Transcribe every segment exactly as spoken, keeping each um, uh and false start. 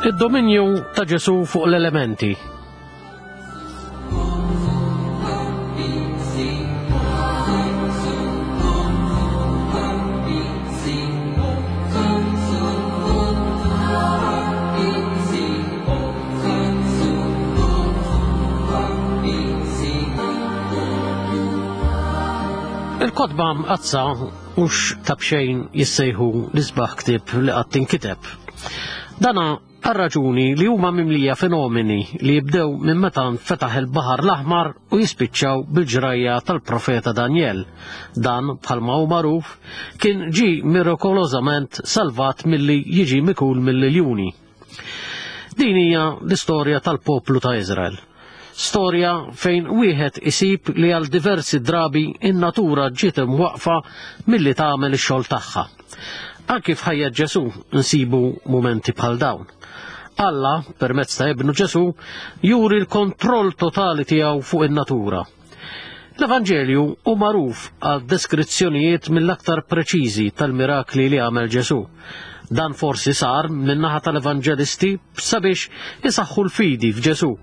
Id-dominju ta' Ġesù fuq l-elementi. Il-kotba mqaddsa mhux ta' b'xejn jissejħu l-isbaħ ktieb li qatt inkiteb. Dana għar-raġuni li huma mimlija fenomeni li jibdew minn meta nfetaħ il-Baħar l-Aħmar u jispiċċaw bil-ġrajja tal-profeta Daniel. Dan bħalma hu magħruf kien ġie mirakolożament salvat milli jiġi mikul mill-iljuni. Din hija l-istorja tal-poplu ta' Iżrael. Storja fejn wieħed isib li għal diversi drabi in-natura ġiet imwaqfa milli tagħmel ix-xogħol tagħha. Anki f'ħajja Ġesù nsibu mumenti bħal dawn. Alla, permezz ta' ibnu Ġesù, juri l-kontroll totali tiegħu fuq in-natura. L-Evanġelju hu magħruf għal deskrizzjonijiet mill-aktar preċiżi tal-mirakli li għamel Ġesù. Dan forsi sar min-naħa tal-Evanġelisti sabiex isaħħu l-fidi f'Ġesù.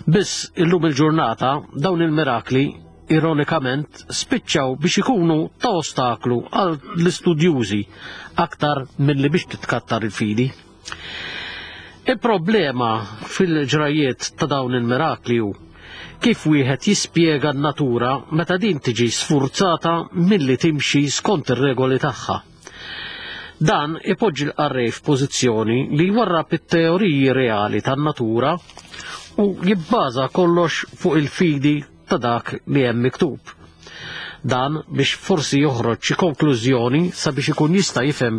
Biss illum il-ġurnata dawn il-mirakli ironikament spiċċaw biex ikunu ta' ostaklu għal l-istudjużi aktar milli biex titkattar il-fidi. Il-problema fil-ġrajiet ta' dawn il-mirakli hu kif wieħed jispjega n-natura meta din tiġi sfurzata milli timxi skont ir-regoli tagħha. Dan ipoġġi l-qarrej f'pożizzjoni li jwarrab it-teoriji reali tan-natura u jibbaża kollox fuq il-fidi ta' dak li hemm miktub. Dan biex forsi joħroġ xi konklużjoni sabiex ikun jista' jifhem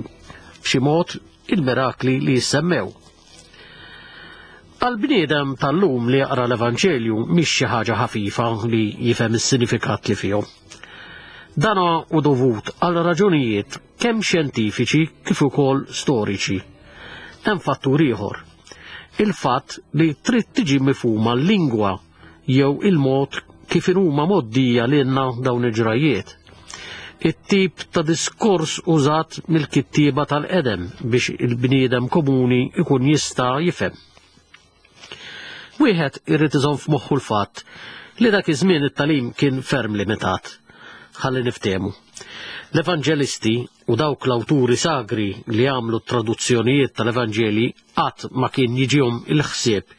b'xi mod il-mirakli li jissemmew. Għal-bniedem tal-lum li jaqra l-Evanġelju mhix xi ħaġa ħafifa li jifhem is-sinifikat li fihom. Dan hu dovut għal raġunijiet kemm xjentifiċi kif ukoll storiċi. Hemm fattur ieħor. Il-fatt li trid tiġi mifhuma l-lingwa jew il-mod kif huma mgħoddija lilna dawn il-ġrajiet. It-tip ta' diskors użat mill-kittieba tal-qedem biex il-bniedem komuni ikun jista' jifhem. Wieħed irid iżomm f'moħħu l-fatt li dak iż-żmien it-tagħlim kien ferm limitat. Ħalli niftehmu. L-Evanġelisti u dawk l-awturi sagri li għamlu traduzzjonijiet tal-Evanġeli qatt ma kien jiġihom il-ħsieb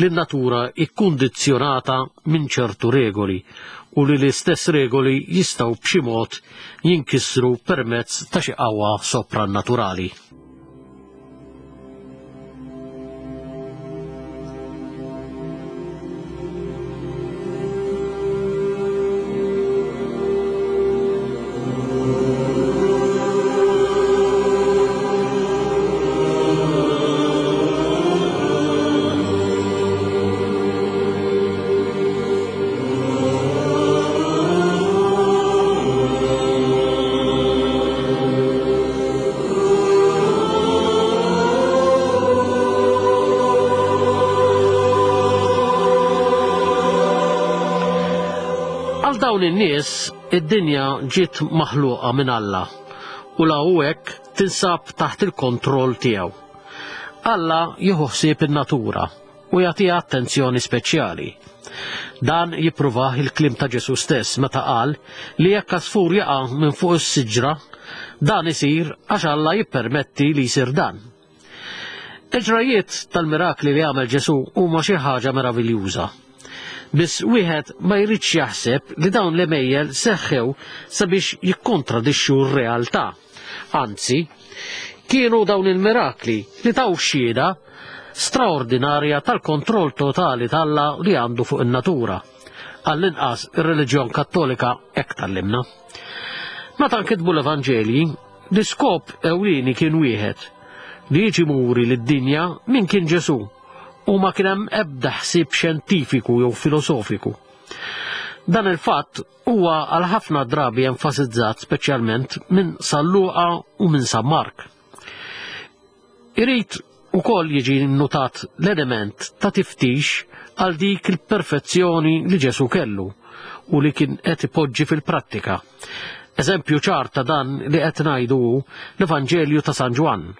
li n-natura ikkundizzjonata minn ċertu regoli u li l-istess regoli jistgħu b'xi mod jinkisru permezz ta' xi qawwa soprannaturali. Għal dawn in-nies id-dinja ġiet maħluqa minn Alla u la hu hekk tinsab taħt il-kontroll tiegħu. Alla jieħu ħsieb in-natura u jagħtiha attenzjoni speċjali. Dan jippruvah il-kliem ta' Ġesù stess meta qal li jekk għasfur jaqa' minn fuq is-siġra, dan isir għax Alla jippermetti li jsir dan. Il-ġrajiet tal-mirakli li għamel Ġesù huma xi ħaġa meraviljuża. Biss wieħed ma jridx jaħseb li dawn l-għemejjel seħħew sabiex jikkontradixxu r-realtà. Anzi, kienu dawn il-mirakli li taw xhieda straordinarja tal-kontroll totali t'Alla li għandu fuq in-natura. Għall-inqas ir-reliġjon Kattolika hekk tgħallimna. Meta nkitbu l-Evanġelji, l-iskop ewlieni kien wieħed, li jiġi muri lid-dinja min kien Ġesù u ma kien hemm ebda ħsieb xjentifiku jew filosofiku. Dan il-fatt huwa għal ħafna drabi enfasizzat speċjalment minn San Luqa u minn San Mark. Irid ukoll jiġi nnotat l-element ta' tiftix għal dik il-perfezzjoni li Ġesù kellu u li kien qed ipoġġi fil-prattika. Eżempju ċar ta' dan li qed ngħidu hu l-Evanġelju ta' San Ġwann.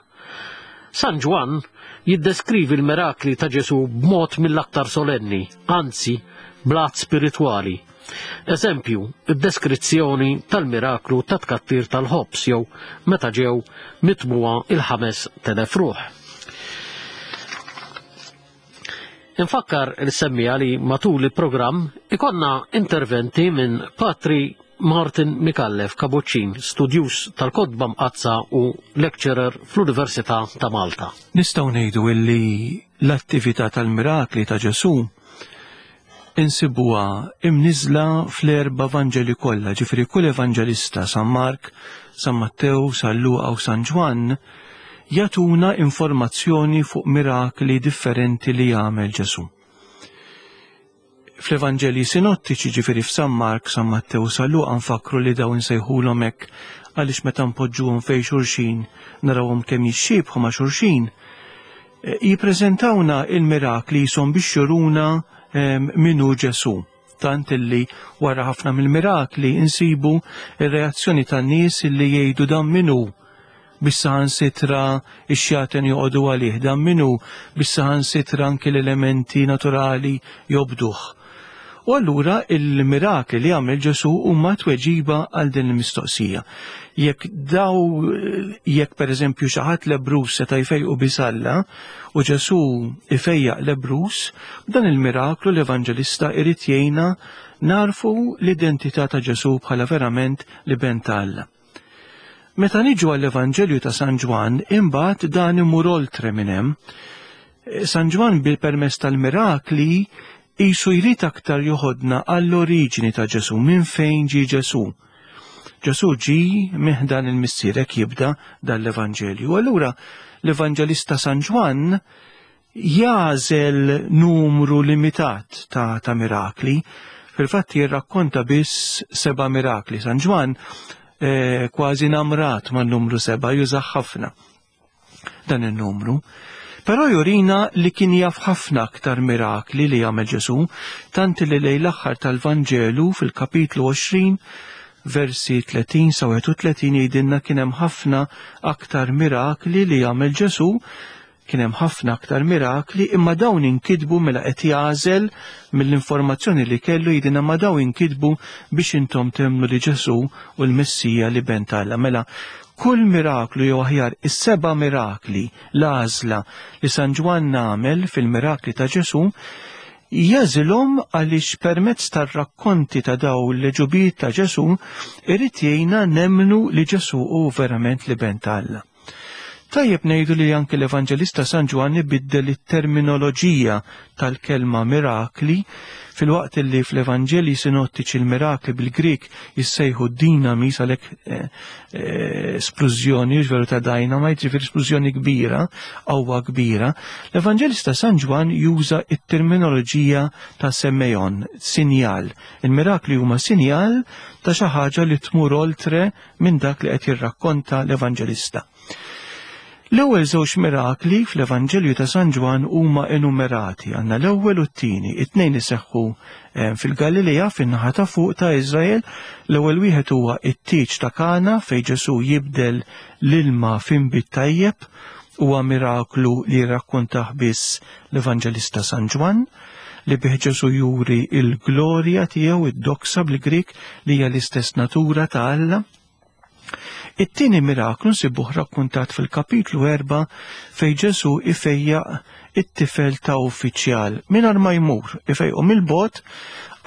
San Ġwann jiddeskrivi l-mirakli ta' Ġesù b'mod mill-aktar solenni, anzi blat spiritwali. Eżempju, id-deskrizzjoni tal-miraklu ta' tkattir tal-ħobż jew meta ġew mitmugħa il-ħames telef ruħ. Infakkar il-semmija li matul il-programm ikonna interventi minn Patri Martin Micallef Kabuċċin, studjuż tal-Kotba Mqaddsa u lecturer fl-Università ta' Malta. Nistgħu ngħidu illi l-attività tal-mirakli ta' Ġesù insibuha imniżla fl-erba' Vanġeli kollha, ġifieri kull evanġelista, San Mark, San Mattew, San Luqa u San Ġwann, jagħtuna informazzjoni fuq mirakli differenti li jagħmel Ġesù. Fl-Evanġelji sinottiċi, ġifieri f'San Mark, San Mattew, San Luqa, nfakru li dawn insejħulhom hekk għaliex meta npoġġuhom fejn xulxin narawhom kemm jixxiebħu ma' xulxin, jippreżentawna il-mirakli jisom biex juruna min hu Ġesù. Tant illi wara ħafna mill-mirakli insibu ir-reazzjoni tan-nies illi jgħidu dan min hu biex saħansitra ix-xjaten joqogħdu għalih, dan min hu biex saħansitra anki l-elementi naturali jobduh. U allura il-mirakli li għamel Ġesù huma tweġiba għal din il-mistoqsija. Jekk daw, jekk pereżempju xi ħadd lebrus seta' jfejqu bisalla u Ġesù ifejjaq lebrus, dan il-miraklu l-evanġelista irid jgħinna narfu l-identità ta' Ġesù bħala verament l-Iben ta' Alla. Meta niġu għall-Evanġelju ta' San Ġwann, imbagħad dan imur oltre minn hemm. San Ġwann bil-permess tal-mirakli jisu jrid aktar joħodna għall-oriġini ta' Ġesù, minn fejn ġie Ġesù. Ġesù ġie minn dan il-Missier, hekk jibda dan l-Evanġelju. Allura l-Evanġelista San Ġwann jagħżel numru limitat ta', ta' mirakli. Fil-fatt jirrakkonta biss seba' mirakli. San Ġwann eh, kważi namrat man-numru seba', jużah ħafna dan in-numru. Però jurina li kien jaf ħafna aktar mirakli li jagħmel Ġesù, tant li lejn l-aħħar tal-Vanġelu fil-kapitlu għoxrin versi tletin sa wieħed u tletin jgħidilna kien hemm ħafna aktar mirakli li jagħmel Ġesù, kien hemm ħafna aktar mirakli, imma dawn inkitbu mela qed jagħżel mill-informazzjoni li kellu jgħidilna ma dawn inkitbu biex intom temmnu li Ġesù u l-Messija li ben ta' Alla. Mela kull miraklu jew aħjar is-seba' mirakli l-għażla li San Ġwann għamel fil-mirakli ta' Ġesù jażilhom għaliex permezz tar-rakkonti ta' daw l-ġubijiet ta' Ġesù irid jgħinna nemmnu li Ġesù hu verament l-Iben ta' Alla. Tajjeb ngħidu li anke l-Evanġelista San Ġwann ibiddel it-terminoloġija tal-kelma mirakli, filwaqt li fl-Evanġelji sinottiċi l-mirakli bil-Grik jissejħu dinamis, għalhekk eh, eh, splużjoni, veru ta' dynamite, ġifieri splużjoni kbira, qawwa kbira. L-Evanġelista San Ġwann juża it-terminoloġija ta' semeion, sinjal. Il-mirakli huma sinjal ta' xi ħaġa li tmur oltre minn dak li qed jirrakkonta l-Evanġelista. L-ewwel żewġ mirakli fl-Evanġelju ta' San Ġwann huma enumerati, għandna l-ewwel u t-tieni, it-tnejn iseħħu fil-Galilea fin-naħa ta' fuq ta' Iżrael. L-ewwel wieħed huwa t-tieġ ta' Kana fejn Ġesù jibdel l-ilma f'inbid tajjeb, huwa miraklu li jirrakkontah biss l-Evanġelista San Ġwann, li bih Ġesù juri l-glorja tiegħu, id-doksa bil-Grik, li hija l-istess natura ta' Alla. It-tieni miraklu nsibuh rakkontat fil-kapitlu erba' fejn Ġesù ifejjaq it-tifel ta' uffiċjal mingħajr ma jmur, ifejqu mill-bogħod.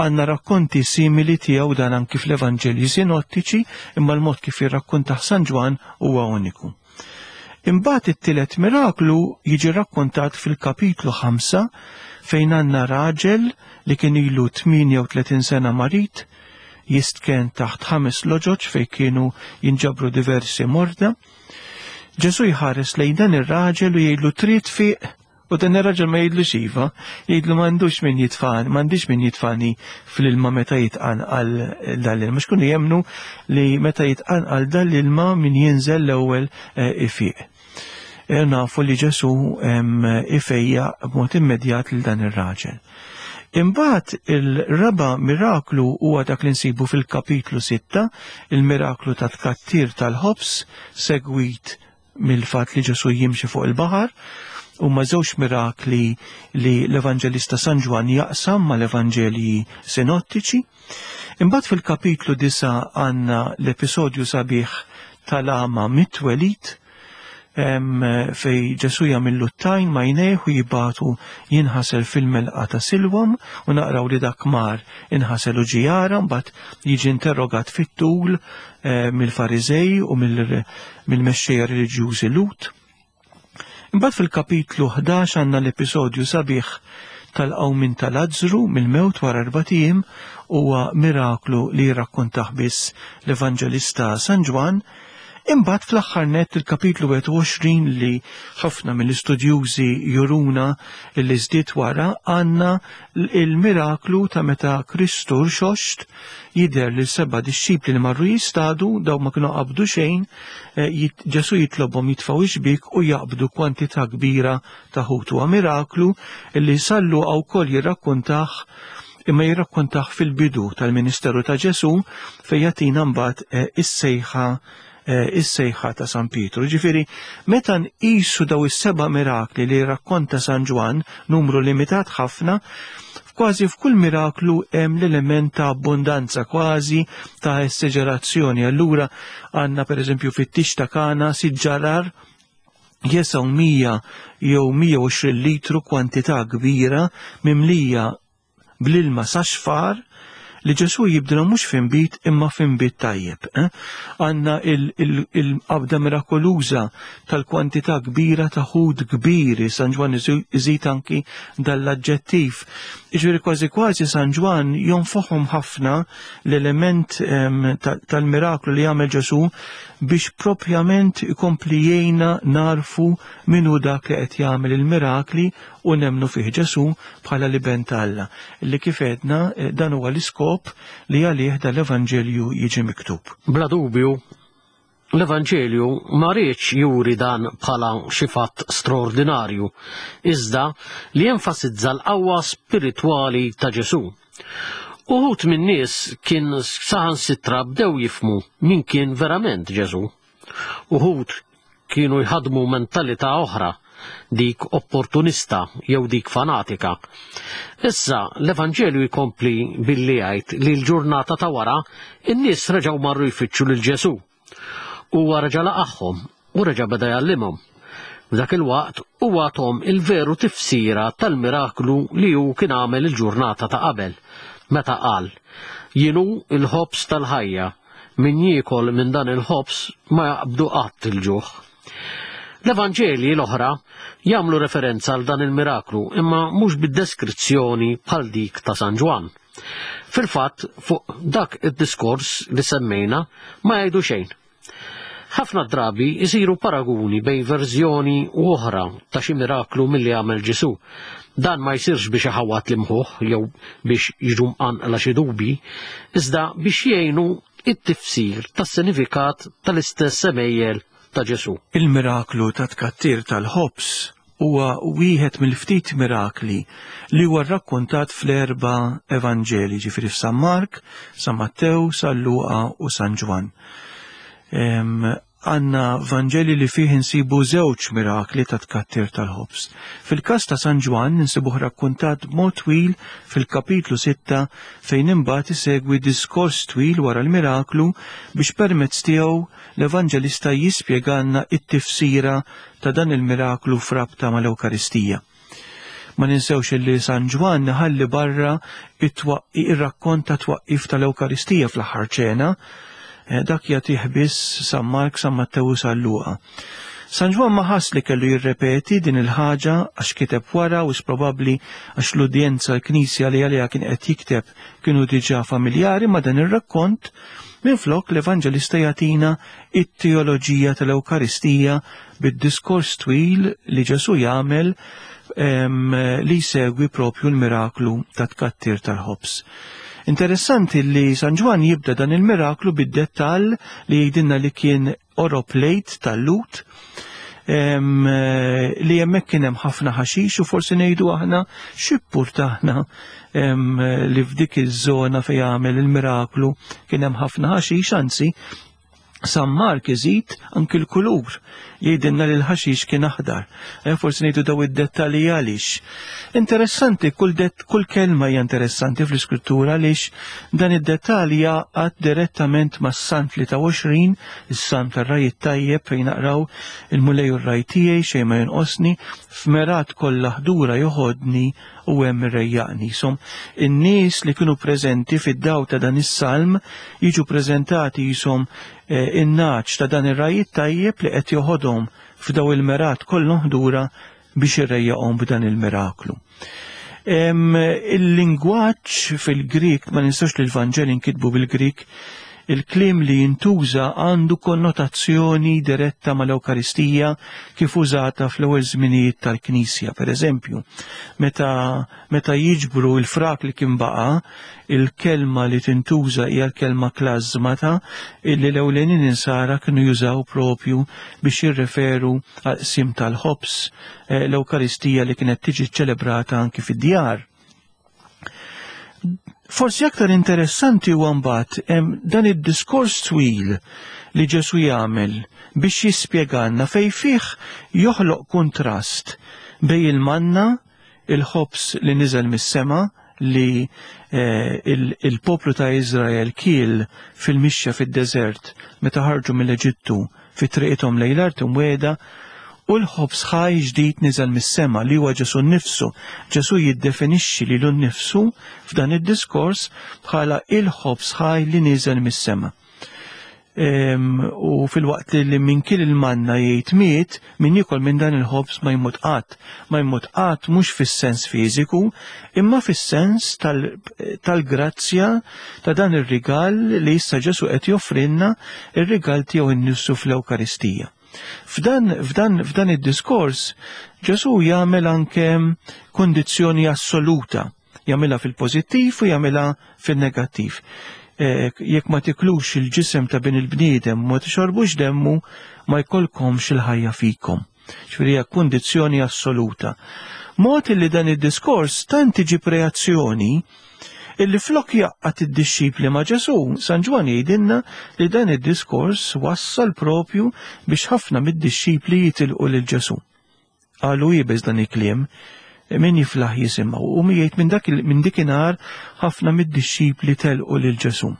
Għandna rakkonti simili tiegħu dan anki fl-Evanġelji sinottiċi, imma l-mod kif jirrakkontah San Ġwann huwa uniku. Imbagħad it-tielet miraklu jiġi rakkontat fil-kapitlu ħamsa fejn għandna raġel li kien ilu tmienja u tletin sena marid, jistken taħt ħames loġoġ fejn kienu jinġabru diversi morda. Ġesù jħares lejn dan ir-raġel u jgħidlu trid fiq, u dan ir-raġel ma jgħidlux iva, jgħidlu m'għandux min jitfani, m'għandix min jitfani fl-ilma meta jitqanqal dan l-ilma. Mhux kienu jemmnu li meta jitqanqal dan l-ilma min jinżel l-ewwel, eh, ifiq. E, nafu li Ġesù, em, ifejja b'mod immedjat lil dan ir-raġel. Imbagħad il-raba' miraklu huwa dak li nsibu fil-kapitlu sitta, il-miraklu ta' tkattir tal-ħobż segwit mill-fatt li Ġesù jimxi fuq il-baħar. Huma żewġ mirakli li l-Evanġelista San Ġwann jaqsam mal-Evanġelji sinottiċi. Imbagħad fil-kapitlu disa' għandna l-episodju sabiħ tal-għama mit-twelid, fej Ġesù jagħmillu t-tajn ma jnejh u jibatu jinħasel fil-melqa ta' Silwam, u naqraw li dak mar inħasel u ġie jara, mbagħad jiġi interrogat fit-tul mill-Fariżej u mill-mexxejja reliġjużi Lut. Imbagħad fil-kapitlu ħdax għandna l-episodju sabiħ tal-qawmien ta' Lazzru mill-mewt wara erbat ijiem, huwa miraklu li jirrakkontah biss l-Evanġelista San Ġwann. Imbagħad fl-aħħar nett il-kapitlu wieħed u għoxrin li ħafna mill-istudjużi juruna li żdied wara, għandna il-miraklu ta' meta Kristu rxoxt jidher lil seba' dixxipli li marru jistadu, daw ma kienu qabdu xejn, eh, jit-, Ġesù jitlobhom jitfgħu ix-xbiek u jaqbdu kwantità kbira ta' ħut. Huwa miraklu li San Luqa wkoll jirrakkontah, imma jirrakkontah fil-bidu tal-ministeru ta' Ġesù fejn jagħtina mbagħad, eh, is-sejħa, eh, is-sejħa ta' San Pietru. Ġifieri, meta nqisu daw is-seba' mirakli li rakkonta San Ġwann, numru limitat ħafna, kważi f'kull miraklu hemm l-element ta' abbondanza, kważi ta' esagerazzjoni. Allura għandna pereżempju fit-tix ta' Kana siġġarar jesaw mija jew mija u għoxrin litru, kwantità kbira mimlija bl-ilma sa xfar, li Ġesù jibdilha mhux f'inbid imma f'inbid tajjeb. Eh? Għandna il-, il-, il-qabda mirakoluża tal-kwantità kbira ta' ħut kbiri, San Ġwann iżu-, iżid anki dal-aġġettiv. Jiġifieri kważi kważi San Ġwann jonfoħhom ħafna l-element, em, ta-, tal-miraklu li jagħmel Ġesù biex propjament ikompli jgħinna narfu min hu dak li qed jagħmel il-mirakli u nemnu fih Ġesù bħala l-Iben ta' Alla. Li kif għedna, eh, dan huwa l-iskop li għalih dal-Evanġelju jiġi miktub. Bla dubju, l-Evanġelju ma riedx juri dan bħala xi fatt straordinarju, iżda li jenfasizza l-qawwa spiritwali ta' Ġesù. Uħud min-nies kien saħansitra bdew jifhmu min kien verament Ġesù. Uħud kienu jħadmu mentalità oħra, dik opportunista jew dik fanatika. Issa l-Evanġelju jkompli billi jgħid li l-ġurnata ta' wara in-nies reġgħu marru jfittxu lil Ġesù. Huwa reġa' laqagħhom u reġa' beda jgħallimhom. F'dak il-waqt huwa għathom il-veru tifsira tal-miraklu li hu kien għamel il-ġurnata ta' qabel, meta qal: Jien hu il-ħobż tal-ħajja, min jiekol minn dan il-ħobż ma jaqbdu qatt il-ġuħ. L-Evanġelji l-oħra jagħmlu referenza għal dan il-miraklu, imma mhux bid-deskrizzjoni bħal dik ta' San Ġwann. Fil-fatt, fuq dak id-diskors li semmejna ma jgħidu xejn. Ħafna drabi jsiru paraguni bejn verżjoni u oħra ta' xi miraklu milli għamel Ġesù. Dan ma jsirx biex iħawwad l-imħuħ jew biex jiġu mqanqla xi dubi, iżda biex jgħinu it-tifsir tas-sinifikat tal-istess semejjel ta' Ġesù. Il-miraklu ta' tkattir tal-ħobż huwa wieħed mill-ftit mirakli li huwa rrakkontat fl-erba' evanġeli, ġifieri f'San Mark, San Mattew, San Luqa u San Ġwann. Em, għandna Vanġeli li fih insibu żewġ mirakli ta' tkattir tal-ħobż. Fil-każ ta' San Ġwann insibuh rakkontat b'mod twil fil-kapitlu sitta fejn imbagħad isegwi diskors twil wara l-miraklu biex permezz tiegħu l-Evanġelista jispjegalna it-tifsira ta' dan il-miraklu f'rabta mal-Ewkaristija. Ma ninsewx li San Ġwann ħalli barra it-twaqqi-, ir-rakkont ta' twaqqif tal-Ewkaristija fl-aħħar ċena. Eh, dak jagħtih biss San Mark, San Mattew u San Luqa. San Ġwann ma ħass li kellu jirrepeti din il-ħaġa għax kiteb wara u probabbli għax l-udjenza l-Knisja li għaliha kien qed jikteb kienu diġà familjari ma' dan ir-rakkont. Minflok l-Evanġelista jagħtina it-teoloġija tal-Ewkaristija bid-diskors twil li Ġesù jagħmel, em, li jsegwi propju l-miraklu ta' tkattir tal-ħobż. Interessanti li San Ġwann jibda dan il-miraklu bid-dettall li jgħidilna li kien qorob lejt tal-Lut, em, li hemmhekk kien hemm ħafna ħaxix u forsi ngħidu aħna x'ippurtana, em, li f'dik iż-żona fejn jagħmel il-miraklu kien hemm ħafna ħaxix, anzi San Mark iżid anki l-kulur, jgħidilna li l-ħaxix kien aħdar. E, forsi ngħidu daw id-dettalji għaliex. Interessanti, kull, det, kull kelma hija interessanti fl-iskrittura għaliex dan id-dettalji jaqgħad direttament mas-Salm tlieta u għoxrin, is-Salm tar-Ragħaj it-Tajjeb fejn naqraw il-Mulej u r-ragħaj tiegħi xejn ma jonqosni, f'mergħat kollha ħdura joħodni u hemm irrejjaqni. Som in-nies li kienu preżenti fid-daw ta' dan is-salm jiġu preżentati jisom eh, in-naċ ta' dan ir-ragħaj it-tajjeb li qed joħodhom f'daw il-mergħat kollhom ħdura biex irrejjaqhom b'dan il-miraklu. Il-lingwaġġ fil-Grik, ma ninsewx li l-Vanġeli nkitbu bil-Grik, il-kliem li jintuża għandu konnotazzjoni diretta mal-Ewkaristija kif użata fl-ewwel żminijiet tal-Knisja. Per eżempju, meta, meta jiġbru l-frak li kien baqa', il-kelma li tintuża hija l-kelma klażmata illi l-ewlenin insara kienu jużaw propju biex jirreferu għal qsim tal-ħobż, l-Ewkaristija li kienet tiġi ċelebrata anki fid-djar. Forsi aktar interessanti huwa mbagħad dan id-diskors twil li Ġesu jagħmel biex jispjegalna fejn fih joħloq kuntrast bejn il-manna, il-ħobż li niżel mis-sema li eh, il-poplu ta' Izrael kiel fil-mixja fid-deżert meta ħarġu mill-Eġittu fi triqithom lejn l-art imwiegħda, u l-ħobż ħaj ġdid niżel mis-sema li huwa Ġesu nnifsu. Ġesu jiddefinixxi lilu nnifsu f'dan id-diskors bħala il-ħobż ħaj li niżel mis-sema. U fil-waqt li min kien il-manna jgħid miet, min jiekol minn dan il-ħobż ma jmut qatt. Ma jmut qatt mhux fis-sens fiżiku, imma fis-sens tal-grazzja ta' dan ir-rigal li issa Ġesu qed joffrilna, ir-rigal tiegħu nnifsu fl-Ewkaristija. F'dan, f'dan, f'dan id-diskors Ġesu jagħmel anke kondizzjoni assoluta, jagħmilha fil-pożittiv u jagħmilha fil-negattiv. E, jekk ma tiklux il-ġisem ta' bin il-bniedem ma tixorbux demmu, ma jkollkomx il-ħajja fikom. Ġifieri hija kondizzjoni assoluta. Mod li dan id-diskors tant iġib reazzjoni illi flok jaqqat id-dixxipli ma' Ġesu, San Ġwann jgħidilna li dan id-diskors wassal propju biex ħafna mid-dixxipli jitilqu lil Ġesu. Qalu jibes dan il-kliem, min jiflaħ jisimgħu, u jgħid minn dak minn dikinhar ħafna mid-dixxipli telqu lil Ġesu.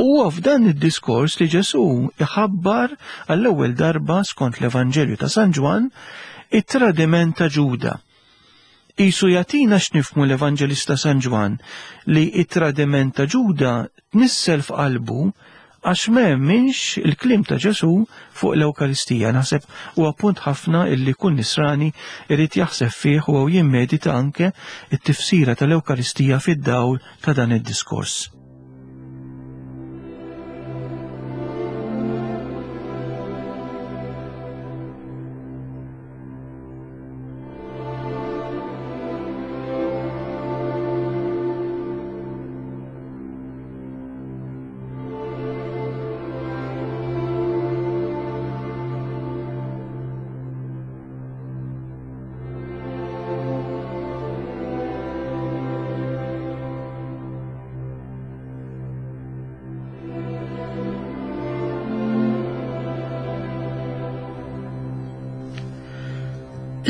U f'dan id-diskors li Ġesu iħabbar għall-ewwel darba skont l-Evanġelju ta' San Ġwann it-tradiment ta' Ġuda. Isu jatina x'nifhmu l-Evanġelista San Ġwann li it-tradiment ta' Ġuda tnissel f'qalbu għax m'hemmx il-kliem ta' Ġesu fuq l-Ewkaristija. Naħseb huwa punt ħafna illi kull nisrani irid jaħseb fih u jimmedita anke it-tifsira tal-Ewkaristija fid-dawl ta' dan id-diskors.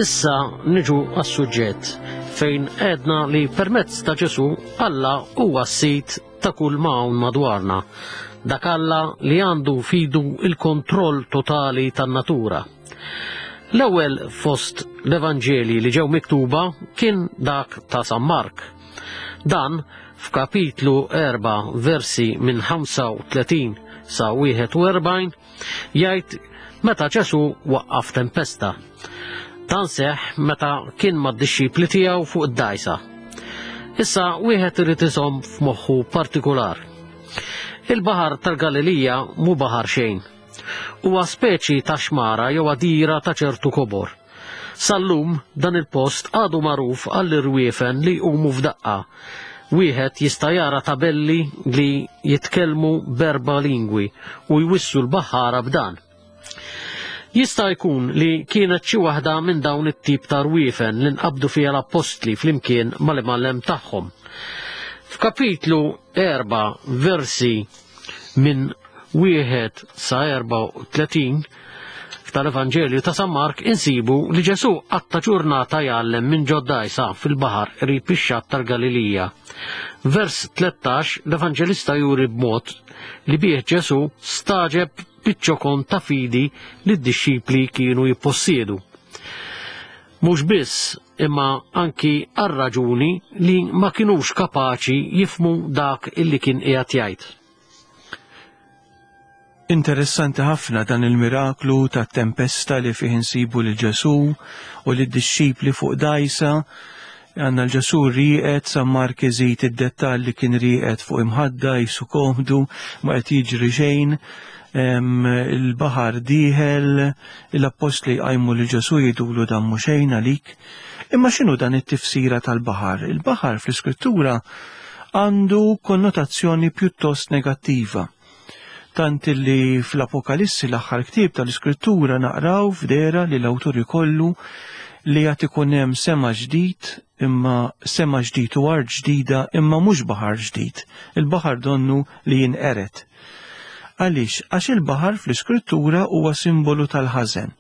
Issa niġu għas-suġġett fejn għedna li permezz ta' Ġesu Alla huwa s-sid ta' kull ma hawn madwarna, dak Alla li għandu fidu il-kontroll totali tan-natura. L-ewwel fost l-Evanġeli li ġew miktuba kien dak ta' San Mark. Dan f'kapitlu erba' versi minn ħamsa u tletin sa wieħed u erbgħin jgħid meta Ġesu waqqaf tempesta. Dan seħ meta kien mad-dixxipli tiegħu fuq id-dgħajsa. Issa wieħed irid iżomm f'moħħu partikular. Il-baħar tal-Galilija mhu baħar xejn. Huwa speċi ta' xmara jew għadira ta' ċertu kobor. Sal-lum dan il-post għadu magħruf għall-irwiefen li jqumu f'daqqa. Wieħed jista' jara tabelli li jitkellmu b'erba' lingwi u jwissu l-baħħara b'dan. Jista' jkun li kienet xi waħda minn dawn it-tip ta' rwiefen li nqabdu fiha l-appostli flimkien mal-imgħallem tagħhom. F'kapitlu erba' versi minn wieħed sa erbgħa u tletin tal-Evanġelju ta' San Mark insibu li Ġesù qatta' ġurnata jgħallem minn ġod-dgħajsa fil-baħar qrib ix-xatt tal-Galilija. Vers tlettax l-Evanġelista juri b'mod li bih Ġesù staġeb biċ-ċokon ta' fidi li d-dixxipli kienu jippossiedu. Mhux biss, imma anki għar-raġuni li ma kinux kapaċi jifmu dak illi kien qiegħed jgħid. Interessanti ħafna dan il-miraklu ta' tempesta li fih insibu lil Ġesù u lid-dixxipli fuq dgħajsa. Għandna l-Ġesù rieqed, San Mark iżid id-dettall li kien rieqed fuq imħadda jisu komdu, ma qed jiġri xejn. Il-baħar dieħel, l-appostli jqajmu lil Ġesù jgħidulu dan mhu xejn għalik. Imma x'inhu dan it-tifsira tal-baħar? Il-baħar fl-Iskrittura għandu konnotazzjoni pjuttost negattiva. Tant li fl-Apokalissi, l-aħħar ktieb tal-Iskrittura, naqraw f'dera li l-awtur ikollu li għad ikun hemm sema ġdid, imma sema ġdid u art ġdida, imma mhux baħar ġdid. Il-baħar donnu li jinqered. Għaliex? Għax il-baħar fl-Iskrittura huwa simbolu tal-ħażen.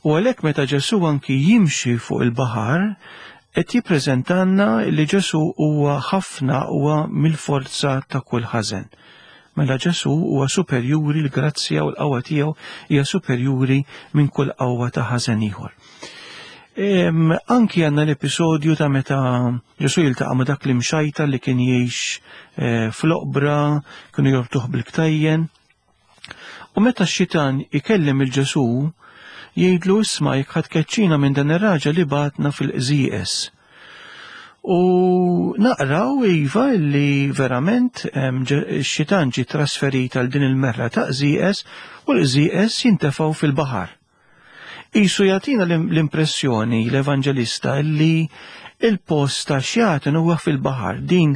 U għalhekk meta Ġesù anki jimxi fuq il-baħar, qed jippreżentanna li Ġesù huwa ħafna aqwa mill-forza ta' kull ħażen. Mela Ġesù huwa superjuri, l-grazzja u l-qawwa tiegħu hija superjuri minn kull qawwa ta' ħażen ieħor. Anki għandna l-episodju ta' meta Ġesù jiltaqa' ma' dak l-imxajta li kien jgħix eh, fl-oqbra, kienu jorbtuh bil-ktajjen. U meta x-xitan ikellem il-Ġesù, jgħidlu isma' jekk ħadd keċċina minn dan ir-raġel li batna fil-qżieqes. U naqraw iva li verament x-xitan ġie trasferit għal din il-merra ta' qżieqes u l-qżieqes jintefgħu fil-baħar. Isu jagħtina l-impressjoni l-Evanġelista li il-post ta' xjaten huwa fil-baħar. Din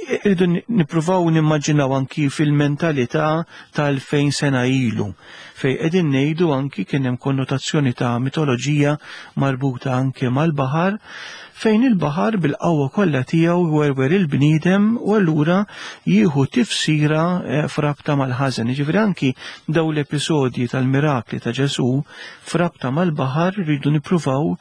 irridu nippruvaw nimmaġinaw anki fil-mentalità tal-fejn sena ilu, fej qegħdin ngħidu anki kien hemm konnotazzjoni ta' mitoloġija marbuta anki mal-baħar, fejn il-baħar bil-qawwa kollha tiegħu jwerwer il-bniedem u allura jieħu tifsira frabta mal-ħażen. Jiġifieri anki daw l-episodji tal-mirakli ta' Ġesù frabta mal-baħar rridu nippruvaw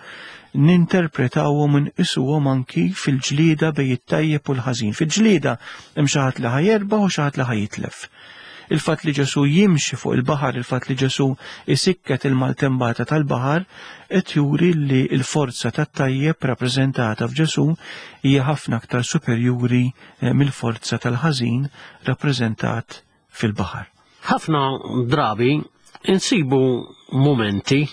ninterpretawhom u nqisuhom anki fil-ġlieda bejn it-tajjeb u l-ħażin. Fil-ġlieda hemm xi ħadd li ħajerbaħ u xi ħadd li ħajitlef. Il-fatt li Ġesù jimxi fuq il-baħar, il-fatt li Ġesù isikket il-maltembata tal-baħar, qed juri li l-forza tat-tajjeb rappreżentata f'Ġesù hija ħafna aktar superjuri mill-forza tal-ħażin rappreżentat fil-baħar. Ħafna drabi insibu momenti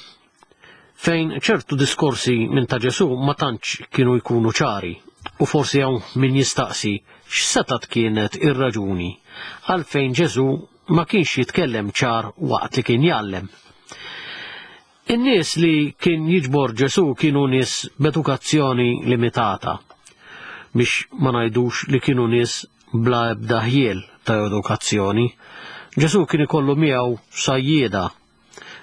fejn ċertu diskorsi minn ta' Ġesù ma tantx kienu jkunu ċari, u forsi hawn min jistaqsi x'setat kienet ir-raġuni għalfejn Ġesù ma kienx jitkellem ċar waqt li kien jgħallem. In-nies li kien jiġbor Ġesù kienu nies b'edukazzjoni limitata, biex ma ngħidux li kienu nies bla ebda ħjiel ta' edukazzjoni. Ġesù kien ikollu miegħu sajjieda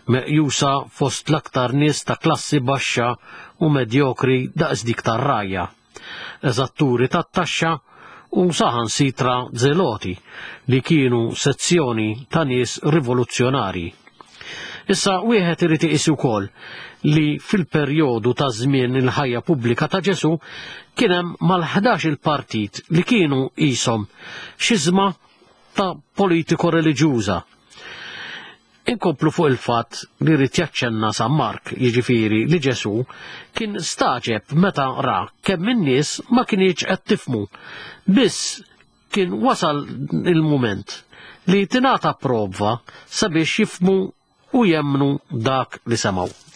meqjusa fost l-aktar nies ta' klassi baxxa u medjokri daqs dik tar-rajja, eżatturi tat-taxxa u saħansitra zeloti li kienu sezzjoni ta' nies rivoluzzjonarji. Issa wieħed irid iqis ukoll li fil-perjodu ta' żmien il-ħajja pubblika ta' Ġesù kien hemm mal-ħdax il-partit li kienu qishom xiżma ta' politiko reliġjuża. Inkomplu fuq il-fatt li rrid jaċċenna San Mark, jiġifieri li Ġesù kien staġeb meta ra kemm in-nies ma kienx qed tifmu. Biss kien wasal il-mument li tingħata prova sabiex jifmu u jemmnu dak li semgħu.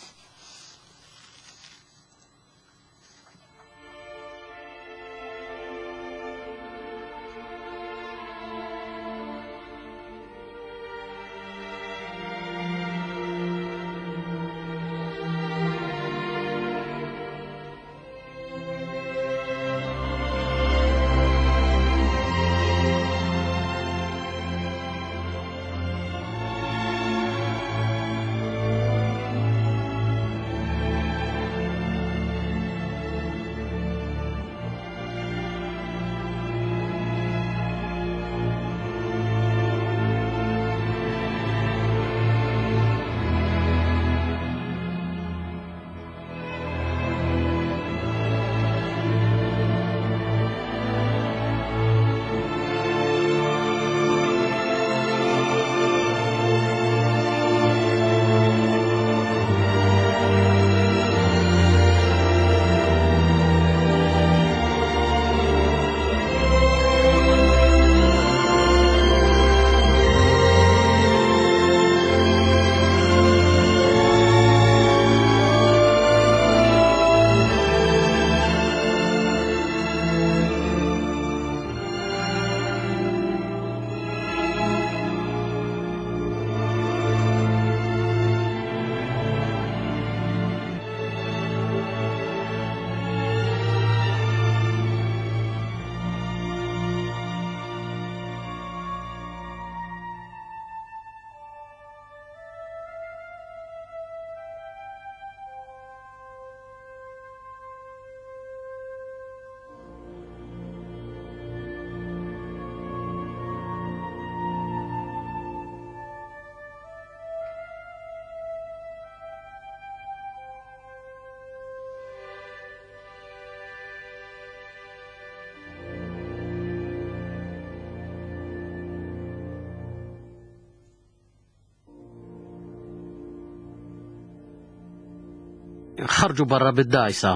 ħarġu barra bid-dgħajsa.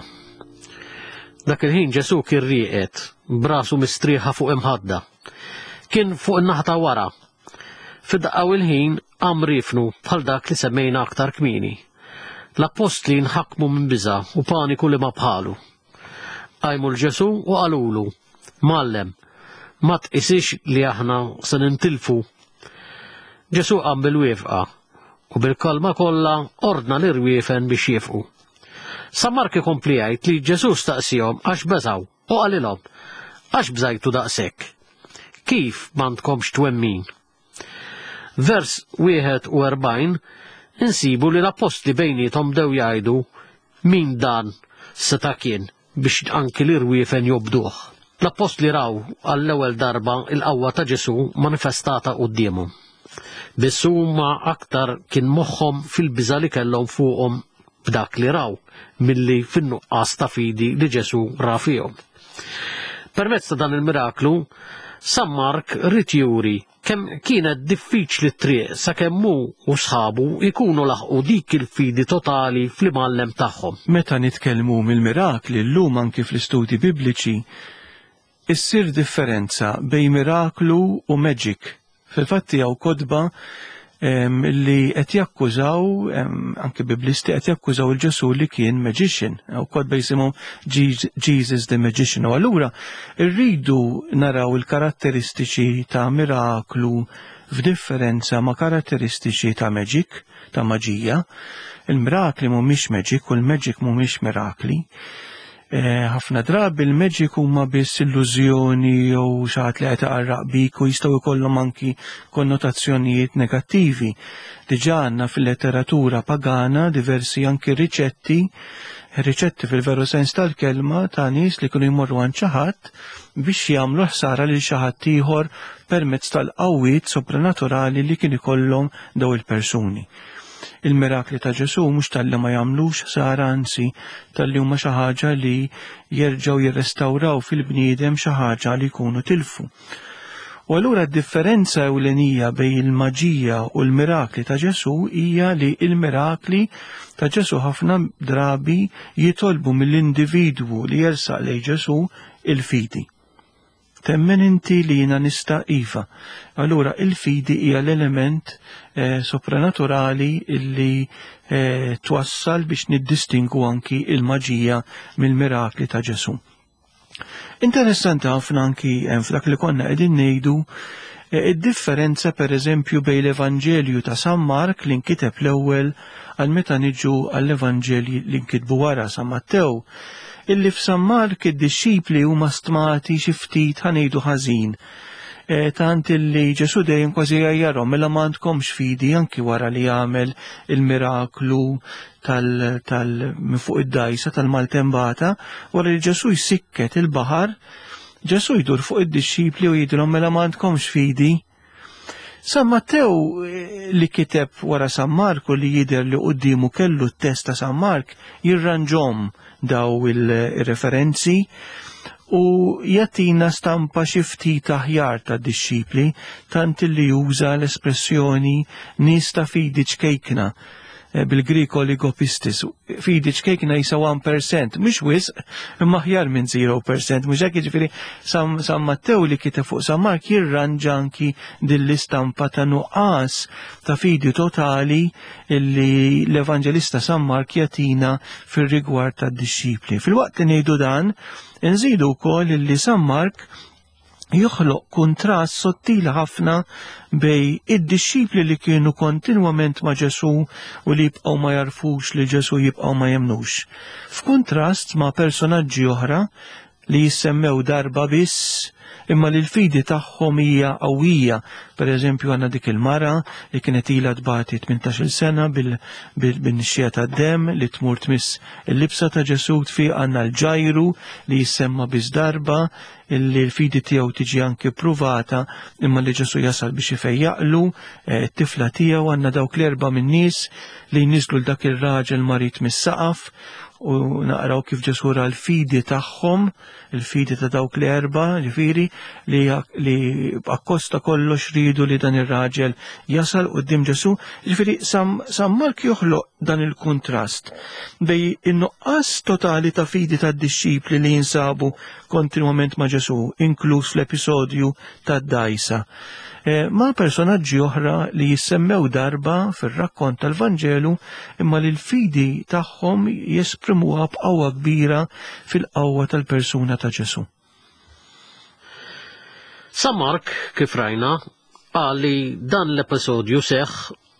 Dak il-ħin Ġesù kien rieqed, b'rasu mistrieħa fuq imħadda. Kien fuq in-naħa ta' wara. Fid-daqqa u l-ħin qam riefnu bħal dak li semmejna aktar kmieni. L-appostli nħakmu minn biża' u paniku li ma bħalu. Qajmu 'l Ġesù u qalulu, Mgħallem, ma tqisix li aħna se nintilfu. Ġesù qam bil-wieqfa u bil-kalma kollha ordna l-irwiefen biex jifqu. San Mark ikompli jgħid li Ġesù staqsihom għax beżgħu u qalilhom, għax bżajtu daqshekk? Kif m'għandkomx twemmin? Vers wieħed u erbgħin insibu li l-appostli bejniethom bdew jgħidu min dan seta' kien biex anki l-irwiefen jobduh. L-appostli raw għall-ewwel darba il-qawwa ta' Ġesù manifestata quddiemhom. Biss huma aktar kien moħħhom fil-biża' li kellhom fuqhom b'dak li raw milli fin-nuqqas ta' fidi li Ġesù ra fihom. Permezz ta' dan il-miraklu, San Mark ried juri kemm kienet diffiċli t-triq sakemm hu u sħabu jkunu laħqu dik il-fidi totali fl-imgħallem tagħhom. Meta nitkellmu mill-mirakli llum anki fl-istudji bibliċi, issir differenza bejn miraklu u magic. Fil-fatti hawn kotba li qed jakkużaw, anke biblisti qed jakkużaw il-Ġesù li kien magician, u kotba jisimhom Jesus the Magician. U allura rridu naraw il-karatteristiċi ta' miraklu f'differenza ma' karatteristiċi ta' magic, ta' maġija. Il-mirakli mhumiex magic u l-magic mhumiex mirakli. Ħafna drabi il-magic huma biss illużjoni jew xi ħadd li qed iqarraq bik u jistgħu jkollhom anki konnotazzjonijiet negattivi. Diġà għandna fil-letteratura pagana diversi anki riċetti, riċetti fil-veru sens tal-kelma ta' nies li kienu jmorru għand xi ħadd biex jagħmlu ħsara lil xi ħadd ieħor permezz tal-qawwiet sopranaturali li kien ikollhom daw il-persuni. Il-mirakli ta' Ġesù mhux talli ma jagħmlux ħsara, anzi talli huma xi ħaġa li jerġgħu jirrestawraw fil-bniedem xi ħaġa li jkunu tilfu. U allura d-differenza ewlenija bejn il-maġija u l-mirakli ta' Ġesù hija li l-mirakli ta' Ġesù ħafna drabi jitolbu mill-individwu li jersaq lejn Ġesù il-fidi. Temmen inti li jiena nista' iva. Allura il-fidi hija l-element eh, sopranaturali illi eh, twassal biex niddistingu anki il-maġija mill-mirakli ta' Ġesù. Interessanti ħafna anki hemm f'dak li konna qegħdin ngħidu eh, id-differenza per eżempju bejn l-Evanġelju ta' San Mark li nkiteb l-ewwel għal meta niġu għall-Evanġelji li nkitbu wara San Mattew, illi f'San Mark id-dixxipli huma stmati xi ftit ħa ngħidu ħażin. E, tant illi Ġesù dejjem kważi jgħajjarhom mela ma għandkomx fidi anki wara li jagħmel il-miraklu tal, tal minn fuq id-dgħajsa tal-maltembata, wara li Ġesù jsikket il-baħar, Ġesù jdur fuq id-dixxipli u jgħidilhom mela ma għandkomx fidi. San Mattew li kiteb wara San Marku li jidher li quddiemu kellu t-test ta' San Mark jirranġom daw il-referenzi u jagħtina stampa xi ftit aħjar ta' dixxipli, tant li juża l-espressjoni nies ta' fidi ċkejkna, bil-Grik oligopistis. Fidi ċkejkna jisa one percent, mhux wisq, imma aħjar minn zero percent, mhux hekk jiġifieri San, San Mattew li kiteb fuq San Mark jirranġa anki din l-istampa ta' nuqqas ta' fidi totali illi l-Evanġelista San Mark jagħtina fir-rigward tad-dixxipli. Fil-waqt li ngħidu dan, nżidu wkoll illi San Mark joħloq kuntrast sottili ħafna bej id-dixxipli li kienu kontinwament ma' Ġesù u li jibqgħu ma jarfux li Ġesù jibqgħu ma jemnux. F'kuntrast ma' personaġġi oħra li jissemmew darba biss imma li l-fidi tagħhom hija qawwija. Per eżempju għandna dik il-mara li kienet ilha tbati tmintax-il sena bil-nixxija tad-demm li tmur tmiss il-libsa ta' Ġesù, tfiq. Għandna l-Ġajru li jissemma biss darba illi l-fidi tiegħu tiġi anki pruvata imma li Ġesù jasal biex ifejjaqlu t-tifla tiegħu. Għandna dawk l-erba' min-nies li jniżlu l dak ir-raġel marid mis-saqaf u naqraw kif Ġesù ra l-fidi tagħhom, il-fidi ta' dawk l-erba, ġifieri li, li akkosta kollox ridu li dan ir-raġel jasal quddiem Ġesù. Ġifieri San, San Mark joħloq dan il-kuntrast bej in-nuqqas totali ta' fidi tad-dixxipli li jinsabu kontinwament ma' Ġesù, inkluż l-episodju tad-dajsa, ma' personaġġi oħra li jissemmew darba fir-rakkont tal-Vanġelu imma li l-fidi tagħhom jesprimuha b'qawwa kbira fil-qawwa tal-persuna ta' Ġesù. San Mark, kif rajna, qal li dan l-episodju seħħ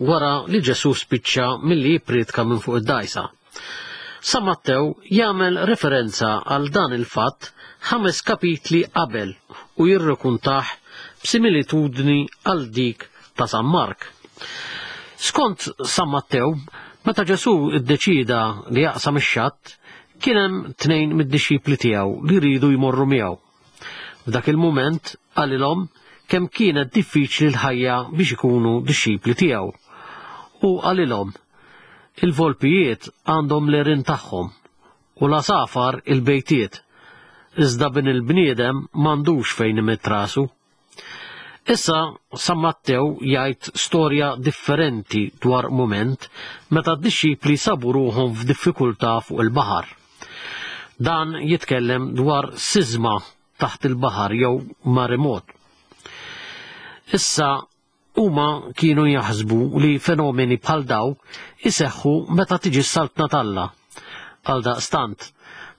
wara li Ġesù spiċċa milli jippriedka minn fuq id-dajsa. San Mattew jagħmel referenza għal dan il-fatt ħames kapitli qabel u jirrakuntah b'similitudni għal dik ta' San Mark. Skont San Mattew, meta Ġesù ddeċida li jaqsam ix-xatt, kien hemm tnejn mid-dixxipli tiegħu li rridu jmorru miegħu. F'dak il-mument qalilhom kemm kienet diffiċli l-ħajja biex ikunu dixxipli tiegħu. U qalilhom, il-volpijiet għandhom l-għerien tagħhom u l-għasafar il-bejtiet, iżda bin il-bniedem m'għandux fejn imidd rasu. Issa San Mattew jgħid storja differenti dwar mument meta d-dixxipli sabu ruħhom f'diffikultà fuq il-baħar. Dan jitkellem dwar sisma taħt il-baħar jew maremot. Issa huma kienu jaħsbu li fenomeni bħal daw iseħħu meta tiġi s-saltna t'Alla. Għal daqstant,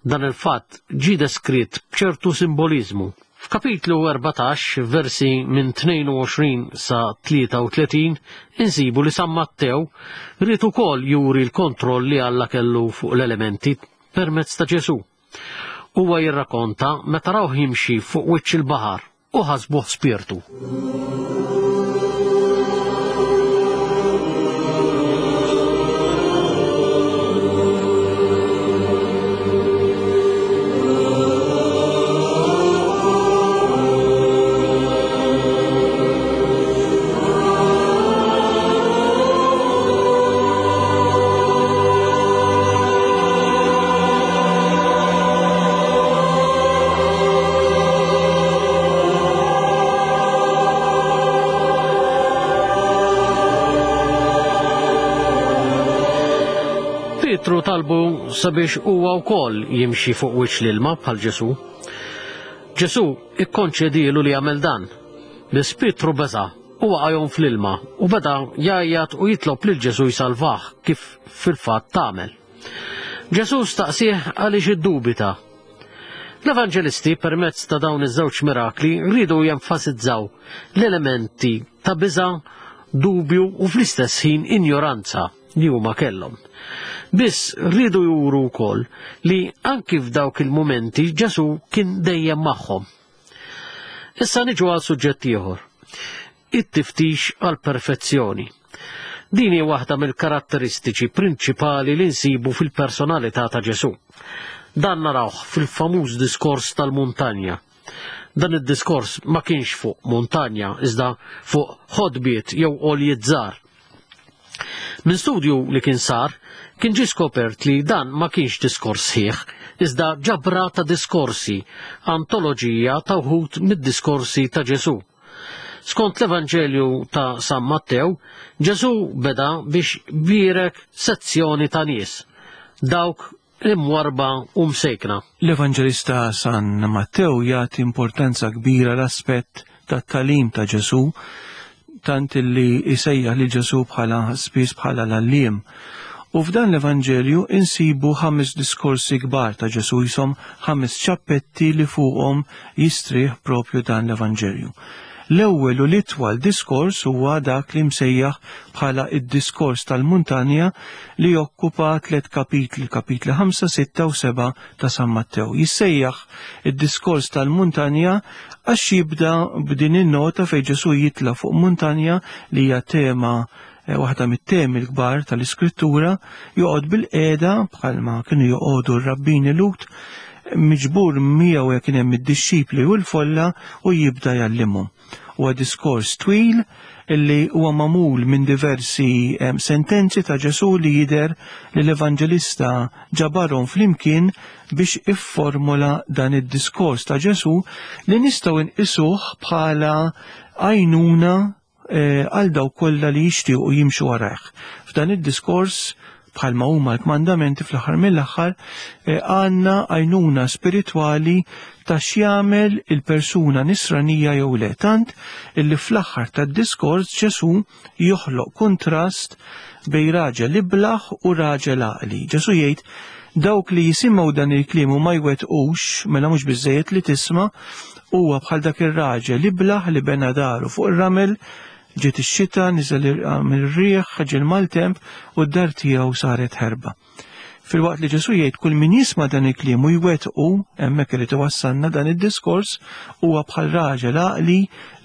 dan il-fatt ġie deskritt b'ċertu simboliżmu. F'kapitlu erbatax, versi minn tnejn u għoxrin sa tlieta u tletin, insibu li San Mattew ried ukoll juri l-kontroll li Alla kellu fuq l-elementi permezz ta' Ġesù. Huwa jirrakonta meta rawh jimxi fuq wiċċ il-baħar u ħasbuh spirtu. Pietru talbu sabiex huwa wkoll jimxi fuq wiċċ l-ilma bħal Ġesù. Ġesù ikkonċedielu li jagħmel dan. Biss Pietru beża' u waqa' jgħum fl-ilma u beda jgħajjat u jitlob lil Ġesù jsalvah kif fil-fatt tagħmel. Ġesù staqsih għaliex iddubita. L-Evanġelisti permezz ta' dawn iż-żewġ mirakli rridu jenfasizzaw l-elementi ta' biża', dubju u fl-istess ħin injoranza li huma kellhom. Biss rridu juru wkoll li anki f'dawk il-mumenti Ġesù kien dejjem magħhom. Issa niġu għal suġġett ieħor, it-tiftix għal perfezzjoni. Din hi waħda mill-karatteristiċi prinċipali li nsibu fil-personalità ta' Ġesù. Dan narawh fil-famuż diskors tal-muntanja. Dan id-diskors ma kienx fuq muntanja, iżda fuq ħodbiet jew għoljiet żgħar. Minn studju li kien sar, kien ġie skopert li dan ma kienx diskors sħiħ, iżda ġabra ta' diskorsi, antoloġija ta' wħud mid-diskorsi ta' Ġesù. Skont l-Evanġelju ta' San Mattew, Ġesù beda biex bierek sezzjoni ta' nies, dawk imwarba u msejkna. L-Evanġelista San Mattew jagħti importanza kbira l-aspett tat-tagħlim ta' Ġesù, tant illi jsejjaħ lil Ġesù bħala spiss bħala l-għalliem. U f'dan l-Evanġelju insibu ħames diskorsi kbar ta' Ġesù, jisom ħames ċappetti li fuqhom jistrieħ propju dan l-Evanġelju. L-ewwel u l-itwal diskors huwa dak li msejjaħ bħala id-diskors tal-muntanja li jokkupa tliet kapitli, kapitli ħamsa, sitta u seba' ta' San Mattew. Jissejjaħ id-diskors tal-muntanja għax jibda b'din in-nota fejn Ġesù jitla' fuq muntanja li hija tema waħda mit-temi l-kbar tal-Iskrittura, joqgħod bil-qiegħda bħalma kienu joqogħdu r-rabbini Lut, miġbur miegħu jekk kien hemm id-dixxipli u l-folla u jibda jgħallimhom. Huwa diskors twil illi huwa magħmul minn diversi sentenzi ta' Ġesù li jidher li l-Evanġelista ġabarhom flimkien biex ifformula dan id-diskors ta' Ġesù li nistgħu nqisuh bħala għajnuna għal dawk kollha li jixtiequ jimxu warajh. F'dan id-diskors, bħalma huma l-kmandamenti fl-aħħar mill-aħħar, għandna għajnuna spiritwali ta' x'jagħmel il-persuna nisranija jew le, tant illi fl-aħħar tad-diskors Ġesù joħloq kontrast bejn raġel iblaħ u raġel għaqli. Ġesù jgħid dawk li jisimgħu dan il-kliem u ma jwettqux, mela mhux biżejjed li tisma', huwa bħal dak ir-raġel iblaħ li bena daru fuq ir-ramel, ġiet ix-xita, niżel ir-riħ, ġie l-maltemp u d-dar tiegħu saret ħerba. Filwaqt li Ġesù jgħid kull min jisma' dan il-kliem u jwettqu, hemmhekk irid iwassalna dan id-diskors, huwa bħal raġel għaqli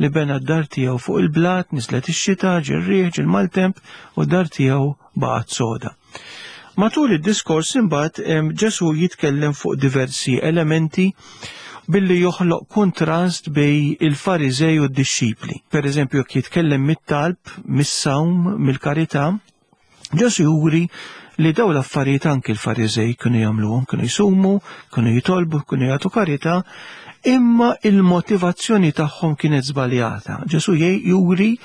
li bena d-dar tiegħu fuq il-blat, niżlet ix-xita, ġie r-riħ, ġie l-maltemp u d-dar tiegħu baqgħet soda. Matul id-diskors imbagħad Ġesù jitkellem fuq diversi elementi billi joħloq kontrast bej il-Fariżej u d-dixxipli. Per eżempju, jekk jitkellem mit-talb, mis-sawm, mill-karità, Ġesù juri li dawn l-affarijiet anki l-Fariżej kienu jagħmluhom, kienu jsumu, kienu jitolbu, kienu jagħtu karità, imma il-motivazzjoni tagħhom kienet żbaljata. Ġesù juri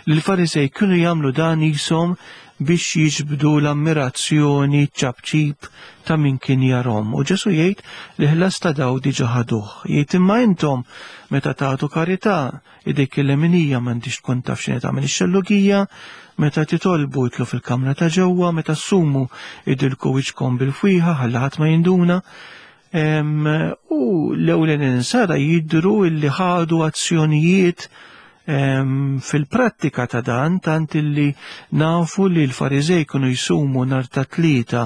li l-Fariżej kienu jagħmlu dan jisom biex jiġbdu l-ammirazzjoni ċabċib ta' min kien jarom. U Ġesù jgħid li ħlas ta' daw diġà ħaduh. Jgħid imma intom meta tagħtu karità, idejk il-leminija m'għandix tkun taf x'inhi tagħmel ix-xellugija, meta titolbu itlu fil-kamra ta' ġewwa, meta ssumu idilku wiċċkom bil-fwieħa ħalli ħadd ma jinduna. U l-ewwel insara jidhru illi ħadu azzjonijiet fil-prattika ta' dan, tant illi nafu li l-Fariżej kienu jsumu nhar ta' Tlieta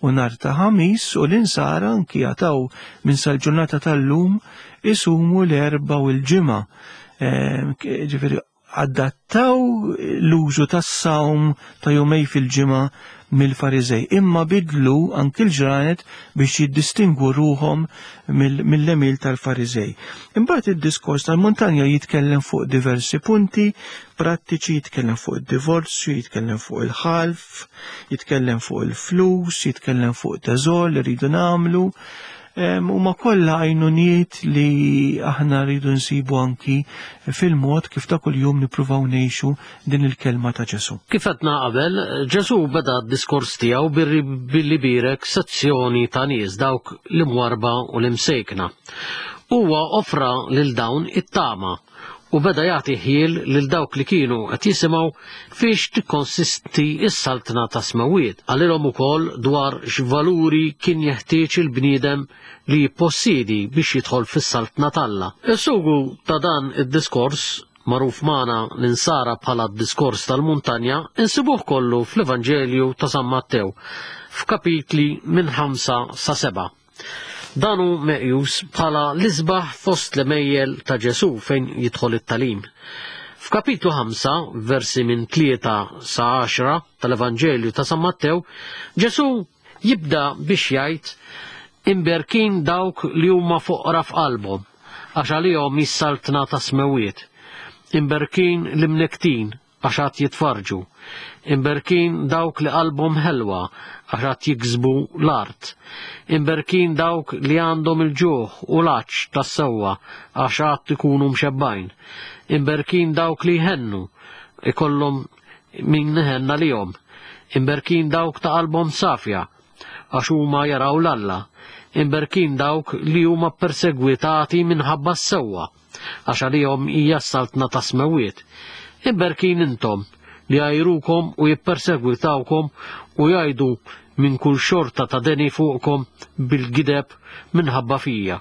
u nhar ta' Ħamis u l-insara anki jataw minn sal-ġurnata tal-lum isumu l-Erbgħa u l-Ġimgħa. Ġifieri adattaw l-użu tas-sawm ta' jumej fil-ġimgħa mill-Fariżej, imma bidlu anki l-ġranet biex jiddistingwu ruhom mill-emil tal-Fariżej. Imbagħad id-diskors tal-muntanja jitkellem fuq diversi punti prattiċi, jitkellem fuq id-divorzju, jitkellem fuq il-ħalf, jitkellem fuq il-flus, jitkellem fuq teżor li rridu nagħmlu. Huma kollha għajnuniet li aħna rridu nsibu anki fil-mod kif ta' kuljum nippruvaw ngħixu din il-kelma ta' Ġesù. Kif għedna qabel, Ġesù beda d-diskors tiegħu billi birek sezzjoni ta' nies dawk l-imwarba u l-imsejkna. Huwa offra lil dawn it-tama u beda jagħti ħiel lil dawk li kienu qed jisimgħu fiex tikkonsisti s-saltna ta' smawiet. Qalilhom ukoll dwar x'valuri kien jeħtieġ il-bniedem li jippossidi biex jidħol fis-saltna t'Alla. Is-sugu ta' dan id-diskors, magħruf magħna l-insara bħala d-diskors tal-muntanja, insibuh kollu fl-Evanġelju ta' San Mattew f'kapitli minn ħamsa sa seba'. Dan hu meqjus bħala l-isbaħ fost l-emejjel ta' Ġesù fejn jidħol it-talim. F'kapitlu ħamsa, versi minn tlieta sa għaxra tal-Evanġelju ta' San Mattew, Ġesù jibda biex jgħid imberkin dawk li huma foqra f'qalbhom, għax għalihom is-saltna ta' smewiet. Imberkin l-imnektin, għax għad jitfarġu. Imberkin dawk li qalbhom ħelwa, għax għad jiksbu l-art. Imberkin dawk li għandhom il-ġuħ u l-għatx tas-sewwa, għax għad ikunu mxebbajn. Imberkin dawk li jħennu, ikollhom min iħenna lihom. Imberkin dawk ta' qalbhom safja, għax huma jaraw l-Alla. Imberkin dawk li huma persegwitati minħabba s-sewwa, għax għalihom hija s-saltna ta' smewiet. Imberkin intom li jgħajrukom u jippersegwitawkom u jgħidu minn kull xorta ta' deni fuqkom bil-gideb minħabba fija.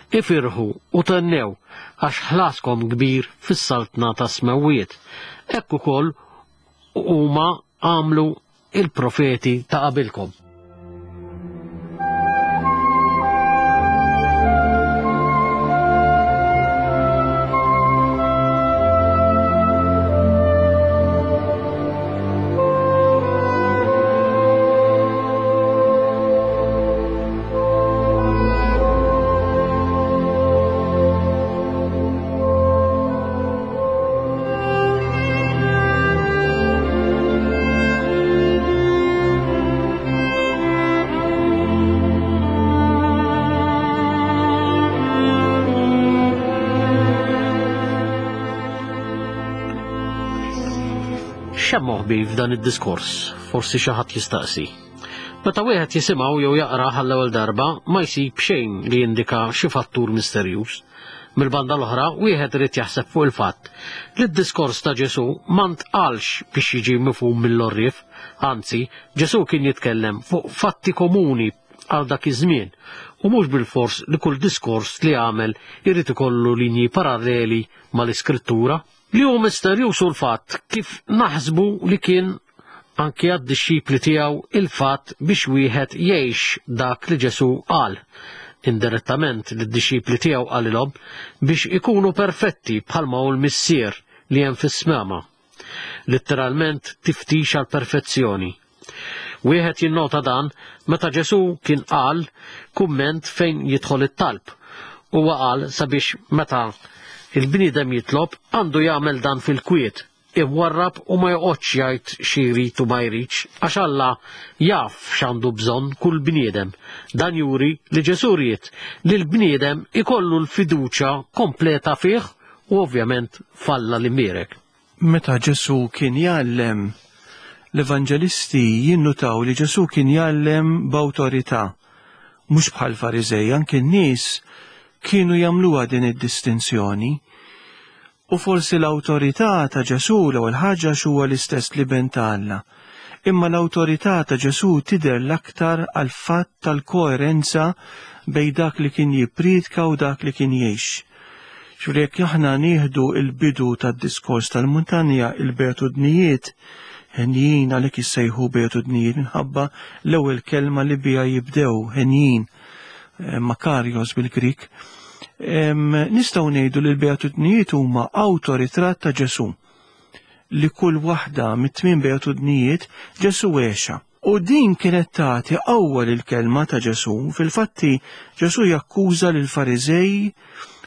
Ifirħu u tennew għax ħlaskom kbir fis-saltna ta' smewiet. Hekk ukoll huma għamlu il-profeti ta' qabilkom. X'hemm moħbi f'dan id-diskors? Forsi xi ħadd jistaqsi. Meta wieħed jisimgħu jew jaqra għall-ewwel darba ma jsib xejn li jindika xi fattur misterjuż. Mill-banda l-oħra, wieħed irid jaħseb fuq il-fatt li d-diskors ta' Ġesù ma ntqalx biex jiġi mifhum mill-għorrief, anzi, Ġesù kien jitkellem fuq fatti komuni għal dak iż-żmien u mhux bilfors li kull diskors li għamel irid ikollu linji paralleli mal-Iskrittura. Li hu misterjuż hu l-fatt kif naħsbu li kien anki għad-dixxipli tiegħu il-fatt biex wieħed jgħix dak li Ġesù qal. Indirettament lid-dixxipli tiegħu qalilhom biex ikunu perfetti bħalma hu l-Missier li hemm fis-smama. Litteralment tiftix għall-perfezzjoni. Wieħed jinnota dan meta Ġesù kien qal kumment fejn jidħol it-talb. Huwa qal sabiex meta il-bniedem jitlob għandu jagħmel dan fil-kwiet, imwarrab u ma joqgħodx jgħid xi jrid u ma jridx, għax Alla jaf x'għandu bżonn kull bniedem. Dan juri li Ġesù ried li l-bniedem ikollu l-fiduċja kompleta fih u ovvjament f'Alla l-imbierek. Meta Ġesù kien jgħallem, l-evanġelisti jinnutaw li Ġesù kien jgħallem b'awtorità, mhux bħal Fariżej, anke n-nies kienu jagħmluha din id-distinzjoni. U forsi l-awtorità ta' Ġesù l-ewwel ħaġa huwa l-istess l-Iben ta' Alla. Imma l-awtorità ta' Ġesù tidher l-aktar għal fatt tal-koerenza bejn dak li kien jippriedka u dak li kien jgħix. Ġifieri jekk aħna nieħdu il-bidu tad-diskors tal-muntanja, il-beatudnijiet, henjin għalhekk issejħu beatudnijiet minħabba l-ewwel kelma li biha jibdew, henjin, makarios bil-Grik. Nistgħu ngħidu li l-beatudnijiet huma awtoritratt ta' Ġesù, li kull waħda mit-tmien beatudnijiet Ġesù għexha. U din kienet tagħti qawwa lill-kelma ta' Ġesù. Fil-fatti Ġesù jakkuża lill-Fariżej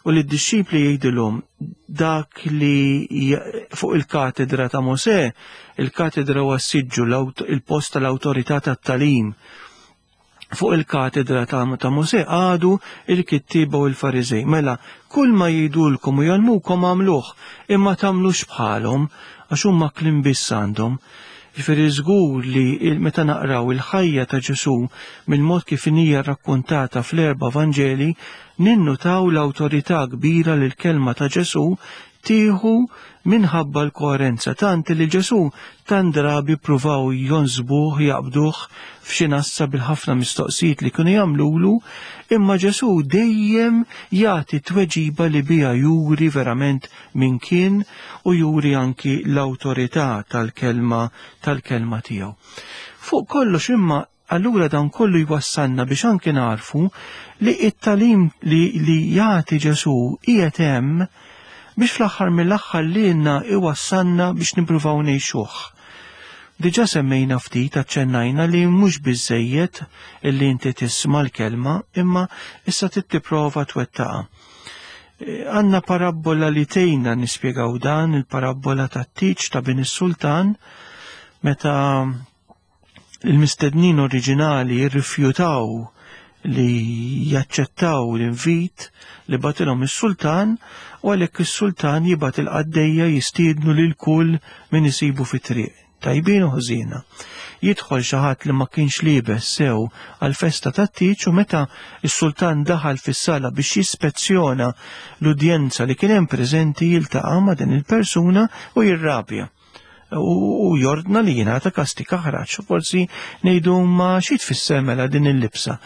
u lid-dixxipli jgħidilhom dak li fuq il-katedra ta' Mosè, il-katedra huwa s-siġġu, il-post tal-awtorità tat-tagħlim. Fuq il-katedra ta', ta' Mosè għadu il-kittieba u l-Fariżej. Mela, kull ma jgħidulkom u jgħallmukom għamluh, imma tagħmlux bħalhom, għax huma kliem biss għandhom. Ġifieri żgur li meta naqraw il-ħajja ta' Ġesù mill-mod kif hija rrakkontata fl-erba' Vanġeli, ninnutaw l-awtorità kbira li l-kelma ta' Ġesù tieħu minħabba l-koerenza, tant li Ġesù tant drabi pruvaw jonsbuh, jaqbduh f'xi nassa bil-ħafna mistoqsijiet li kienu jagħmlulu, imma Ġesù dejjem jagħti tweġiba li biha juri verament min kien u juri anki l-awtorità tal-kelma tal-kelma tiegħu. Fuq kollox imma allura dan kollu jwassalna biex anki narfu li it-tagħlim li, li jagħti Ġesù qiegħed hemm biex fl-aħħar mill-aħħar lilna iwassalna biex nippruvaw ngħixuh. Diġà semmejna ftit, aċċennajna li mhux biżejjed illi inti tisma' l-kelma, imma issa trid tipprova twettaqha. Għandna parabbola li tgħinna nispjegaw dan, il-parabbola tat-tieġ ta' bin is-sultan, meta il-mistednin oriġinali rrifjutaw li jaċċettaw l-invit li batilhom is-sultan, u għalhekk is-sultan jibgħat il-qaddejja jistiednu lil kull min isibu fit-triq, tajbin u ħżiena. Jidħol xi ħadd li ma kienx liebes sew għall-festa tat-tieġ, u meta s-sultan daħal fis-sala biex jispezzjona l-udjenza li kien hemm preżenti, jiltaqa' ma' din il-persuna u jirrabja u jordna li jingħata kastig aħraġ. Forsi ngħidu ma xi tfisser mela din il-libsa?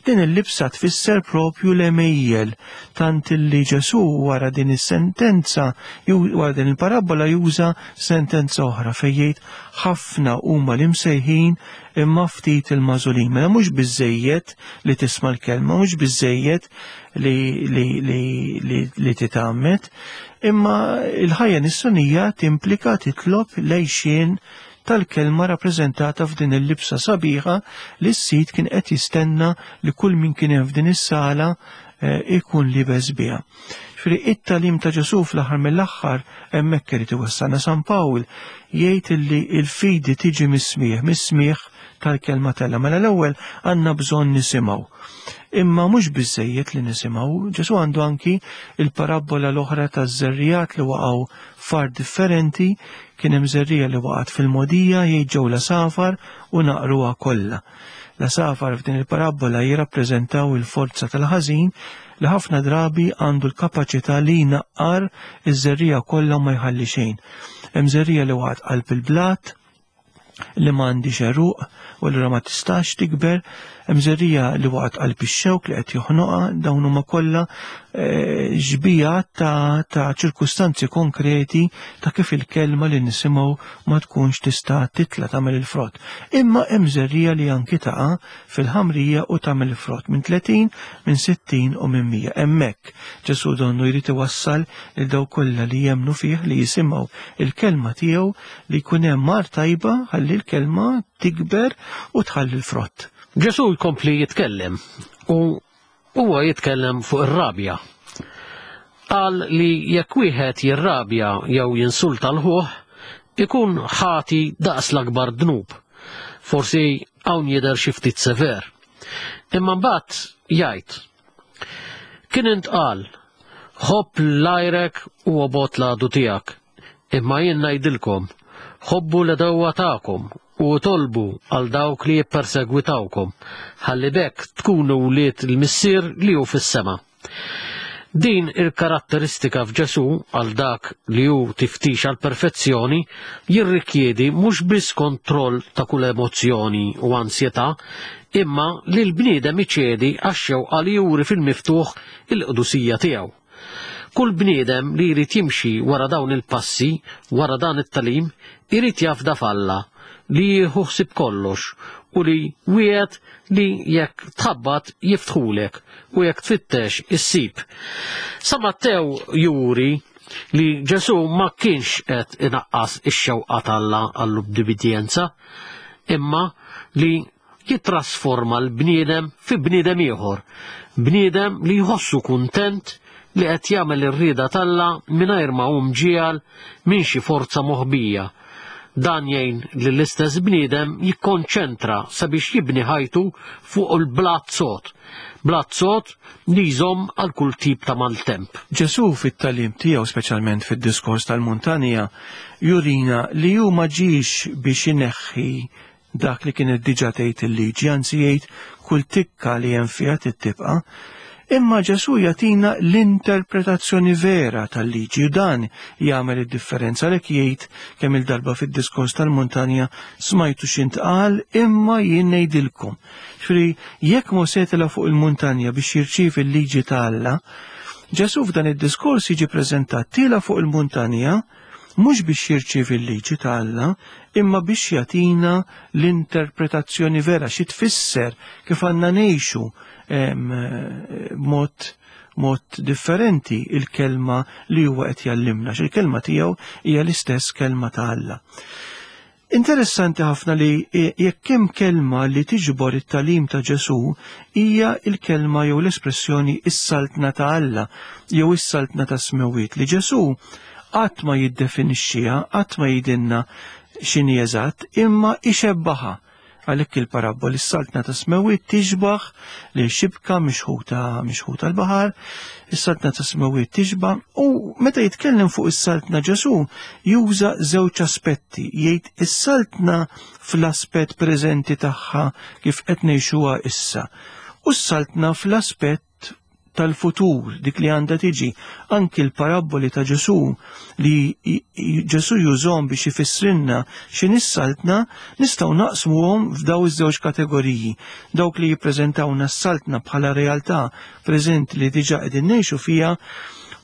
Din il-libsa tfisser propju l-għemejjel, tant li Ġesù wara din is-sentenza, wara din il-parabbola juża sentenza oħra fejn jgħid ħafna huma l-imsejħin imma ftit il-magħżulin. Mela mhux biżejjed li tisma' l-kelma, mhux biżejjed li, li, li, li, li titgħammed, imma il-ħajja nisranija timplika titlob lejxien tal-kelma rappreżentata f'din il-libsa sabiħa li s-sid kien qed jistenna li kull min kien hemm f'din is-sala ikun libes biha. Ġifieri it-tagħlim ta' Ġesù fl-aħħar mill-aħħar hemmhekk irid iwassalna. San Pawl jgħid illi l-fidi tiġi mis-smigħ, mis-smigħ tal-kelma t'Alla. Mela l-ewwel għandna bżonn nisimgħu. Imma mhux biżejjed li nisimgħu, Ġesù għandu anki il-parabbola l-oħra taż-żerriegħat li waqgħu f'art differenti, kien hemm żerriegħa li waqgħet fil-mogħdija, jgħid ġew l-għasafar u naqruha kollha. L-għasafar f'din il-parabbola jirrappreżentaw il-forza tal-ħażin li ħafna drabi għandu l-kapaċità li jnaqqar iż-żerriegħa kollha u ma jħalli xejn. Hemm żerriegħa li waqgħet qalb il-blat, li ma għandix għeruq u allura ma tistax tikber, hemm żerriegħa li waqgħet qalb ix-xewk li qed joħnoqha, dawn huma kollha xbijat ta', ta' ċirkustanzi konkreti ta' kif il-kelma li nisimgħu ma tkunx tista' titla' tagħmel il-frott. Imma hemm żerriegħa li anki taqa' fil-ħamrija u tagħmel il-frott minn tletin, minn sittin u minn mija. Hemmhekk Ġesù donnu jrid iwassal lil dawk kollha li jemmnu fih, li jisimgħu il-kelma tiegħu, li jkun hemm mar tajba ħalli l-kelma tikber u tħalli l-frott. Ġesù jkompli jitkellem u huwa jitkellem fuq ir-rabja. Qal li jekk wieħed jirrabja jew jinsulta l-ħuh, ikun ħati daqs l-akbar dnub. Forsi hawn jidher xi ftit sever. Imma mbagħad jgħid, kien intqal, ħobb l-għajrek u obgħod l-għadu tiegħek. Imma jien ngħidilkom, ħobbu l-għedewwa tagħkom u tolbu għal dawk li jippersegwitawkom, ħalli bekk tkunu wlied il-Missier li hu fis-sema. Din il-karatteristika f'Ġesù għal dak li hu tiftix għal perfezzjoni jirrikjedi mhux biss kontroll ta' kull emozzjoni u ansjetà, imma li l-bniedem iċedi għax-xewqa li juri fil-miftuħ il-qdusija tiegħu. Kull bniedem li jrid jimxi wara dawn il-passi, wara dan it-tagħlim, irid jafda f'Alla li jieħu ħsieb kollox u li wieħed li jekk tħabbat jiftħulek u jekk tfittex issib. Sa Mattew juri li Ġesù ma kienx qed inaqqas ix-xewqa t'Alla għall-ubbidjenza, imma li jitrasforma l-bniedem fi bniedem ieħor, bniedem li jħossu kuntent li qed jagħmel ir-rieda t'Alla mingħajr ma hu mġiegħel minn xi forza moħbija. Dan jgħin li l-istess bniedem jikkonċentra sabiex jibni ħajtu fuq il-blat sod, blat sod li jżomm għal kull tip ta' maltemp. Ġesù fit-tagħlim tiegħu, speċjalment fid-diskors tal-muntanja, jurina li hu ma ġiex biex ineħħi dak li kienet diġà tgħid il-liġi, anzi jgħid kull tikka li hemm fiha tibqa'. Imma Ġesù jagħtina l-interpretazzjoni vera tal-liġi u dan jagħmel id-differenza. Għalhekk jgħid kemm il-darba fid-diskors tal-muntanja, smajtu x'intqal imma jien ngħidilkom. Ġifieri jekk Mosè tela' fuq il-muntanja biex jirċievi l-liġi ta' Alla, Ġesù f'dan id-diskors jiġi preżentat tiela' fuq il-muntanja mhux biex jirċievi l-liġi ta' Alla, imma biex jagħtina l-interpretazzjoni vera xi tfisser kif għandna ngħixu mod, mod differenti il-kelma li huwa qed jallimna, għax il-kelma tiegħu hija l-istess kelma ta' Alla. Interessanti ħafna li jekk hemm kelma li tiġbor it-tagħlim ta' Ġesù hija l-kelma jew l-espressjoni is-saltna ta' Alla jew is-saltna ta' smewwiet, li Ġesù qatt ma jiddefinixxiha, qatt ma jgħidilna x'inhi eżatt, imma ixebbaħha. Għalhekk il-parabboli s-saltna ta' smewwiet tixbaħ li xibka mixħuta, mixħuta l-baħar, is-saltna ta' smewwiet tixbaħ. U meta jitkellem fuq is-saltna Ġesù juża żewġ aspetti, jgħid is-saltna fl-aspett preżenti tagħha kif qed ngħixuha issa, u s-saltna fl-aspett tal-futur, dik li għandha tiġi. Anki l-parabboli ta' Ġesù li i-, i-, Ġesù jużhom biex ifissrilna x'inhi s-saltna, nistgħu naqsmuhom f'daw iż-żewġ kategoriji. Dawk li jippreżentawna s-saltna bħala realtà preżenti li diġà qegħdin ngħixu fiha,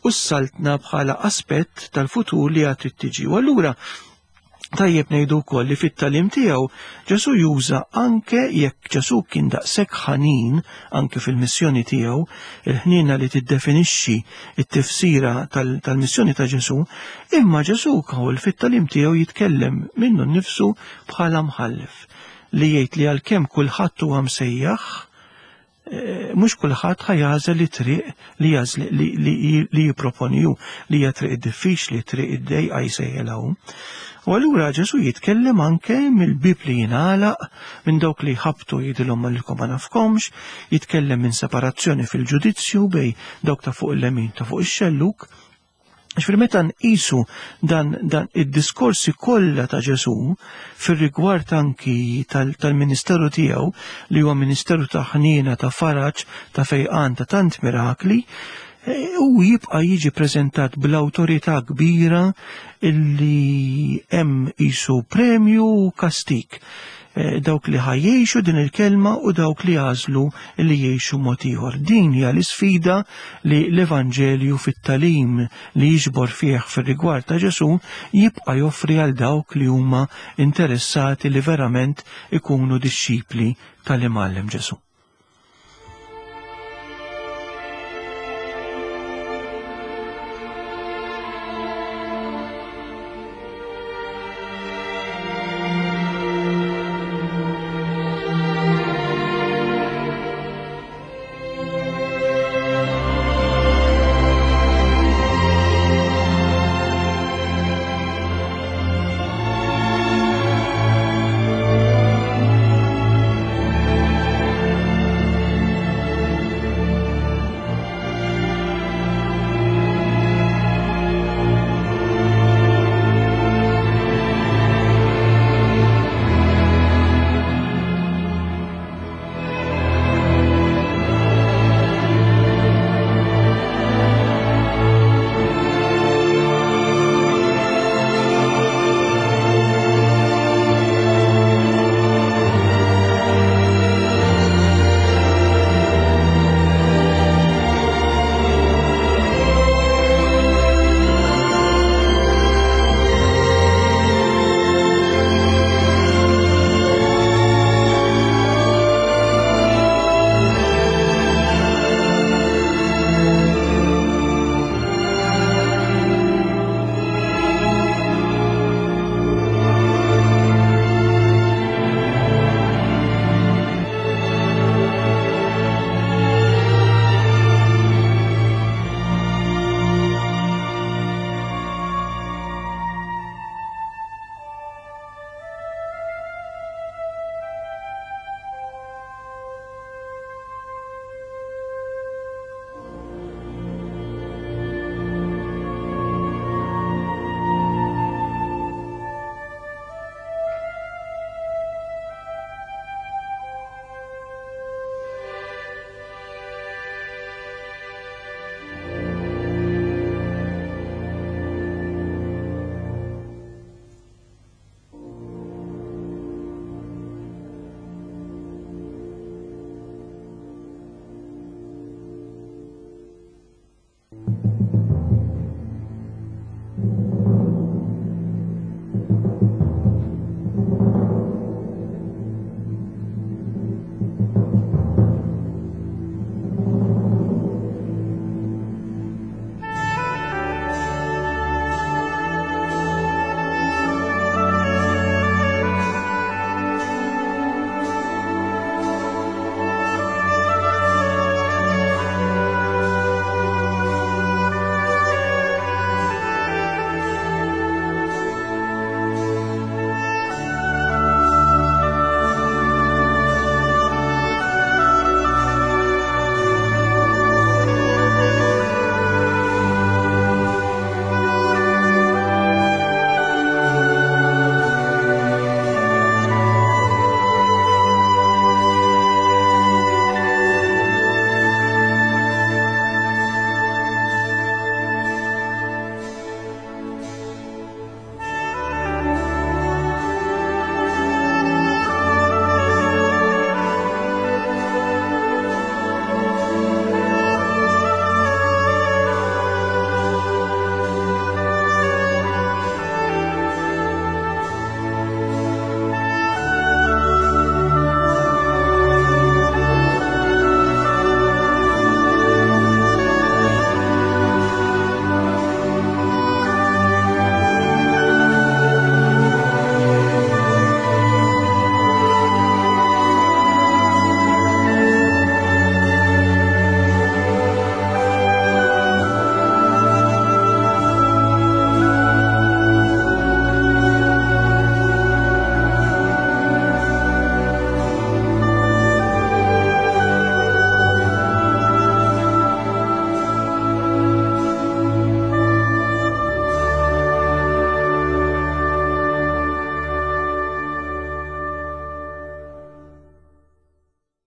u s-saltna bħala aspett tal-futur li għad trid tiġi. U allura tajjeb ngħidu wkoll li fit-tagħlim tiegħu Ġesù juża anke jekk Ġesù kien daqshekk ħanin anke fil-missjoni tiegħu, il-ħniena li tiddefinixxi t-tifsira tal-, tal-missjoni ta' Ġesù, imma Ġesù wkoll fit-tagħlim tiegħu jitkellem minnu nnifsu bħala mħallef li jgħid li għalkemm kulħadd huwa msejjaħ Mhux kulħadd ħa jagħżel it-triq li li jipproponi hu, li hija triq diffiċli, triq id-dejqa jsejjilha hu. U allura Ġesù jitkellem anke mill-bib li jingħalaq, minn dawk li jħabtu jgħidilhom lilkom ma nafkomx, jitkellem minn separazzjoni fil-ġudizzju bej dawk ta' fuq il-lemin ta' fuq ix-xelluk. Ġifieri meta nqisu dan, dan id-diskorsi kollha ta' Ġesù fir-rigward anki tal-ministeru tiegħu li huwa ministeru ta' ħniena, ta' faraġ, ta' fejqan, ta' tant mirakli, u jibqa' jiġi preżentat bl-awtorità kbira illi hemm qisu premju u kastik. Dawk li ħajjexu din il-kelma u dawk li għażlu li jgħixu mod ieħor. Din hija l-isfida li l-Evanġelju fit-talim li jiġbor fih fir-rigward ta' Ġesù jibqa' joffri għal dawk li huma interessati li verament ikunu dixxipli tal-Imgħallem Ġesù.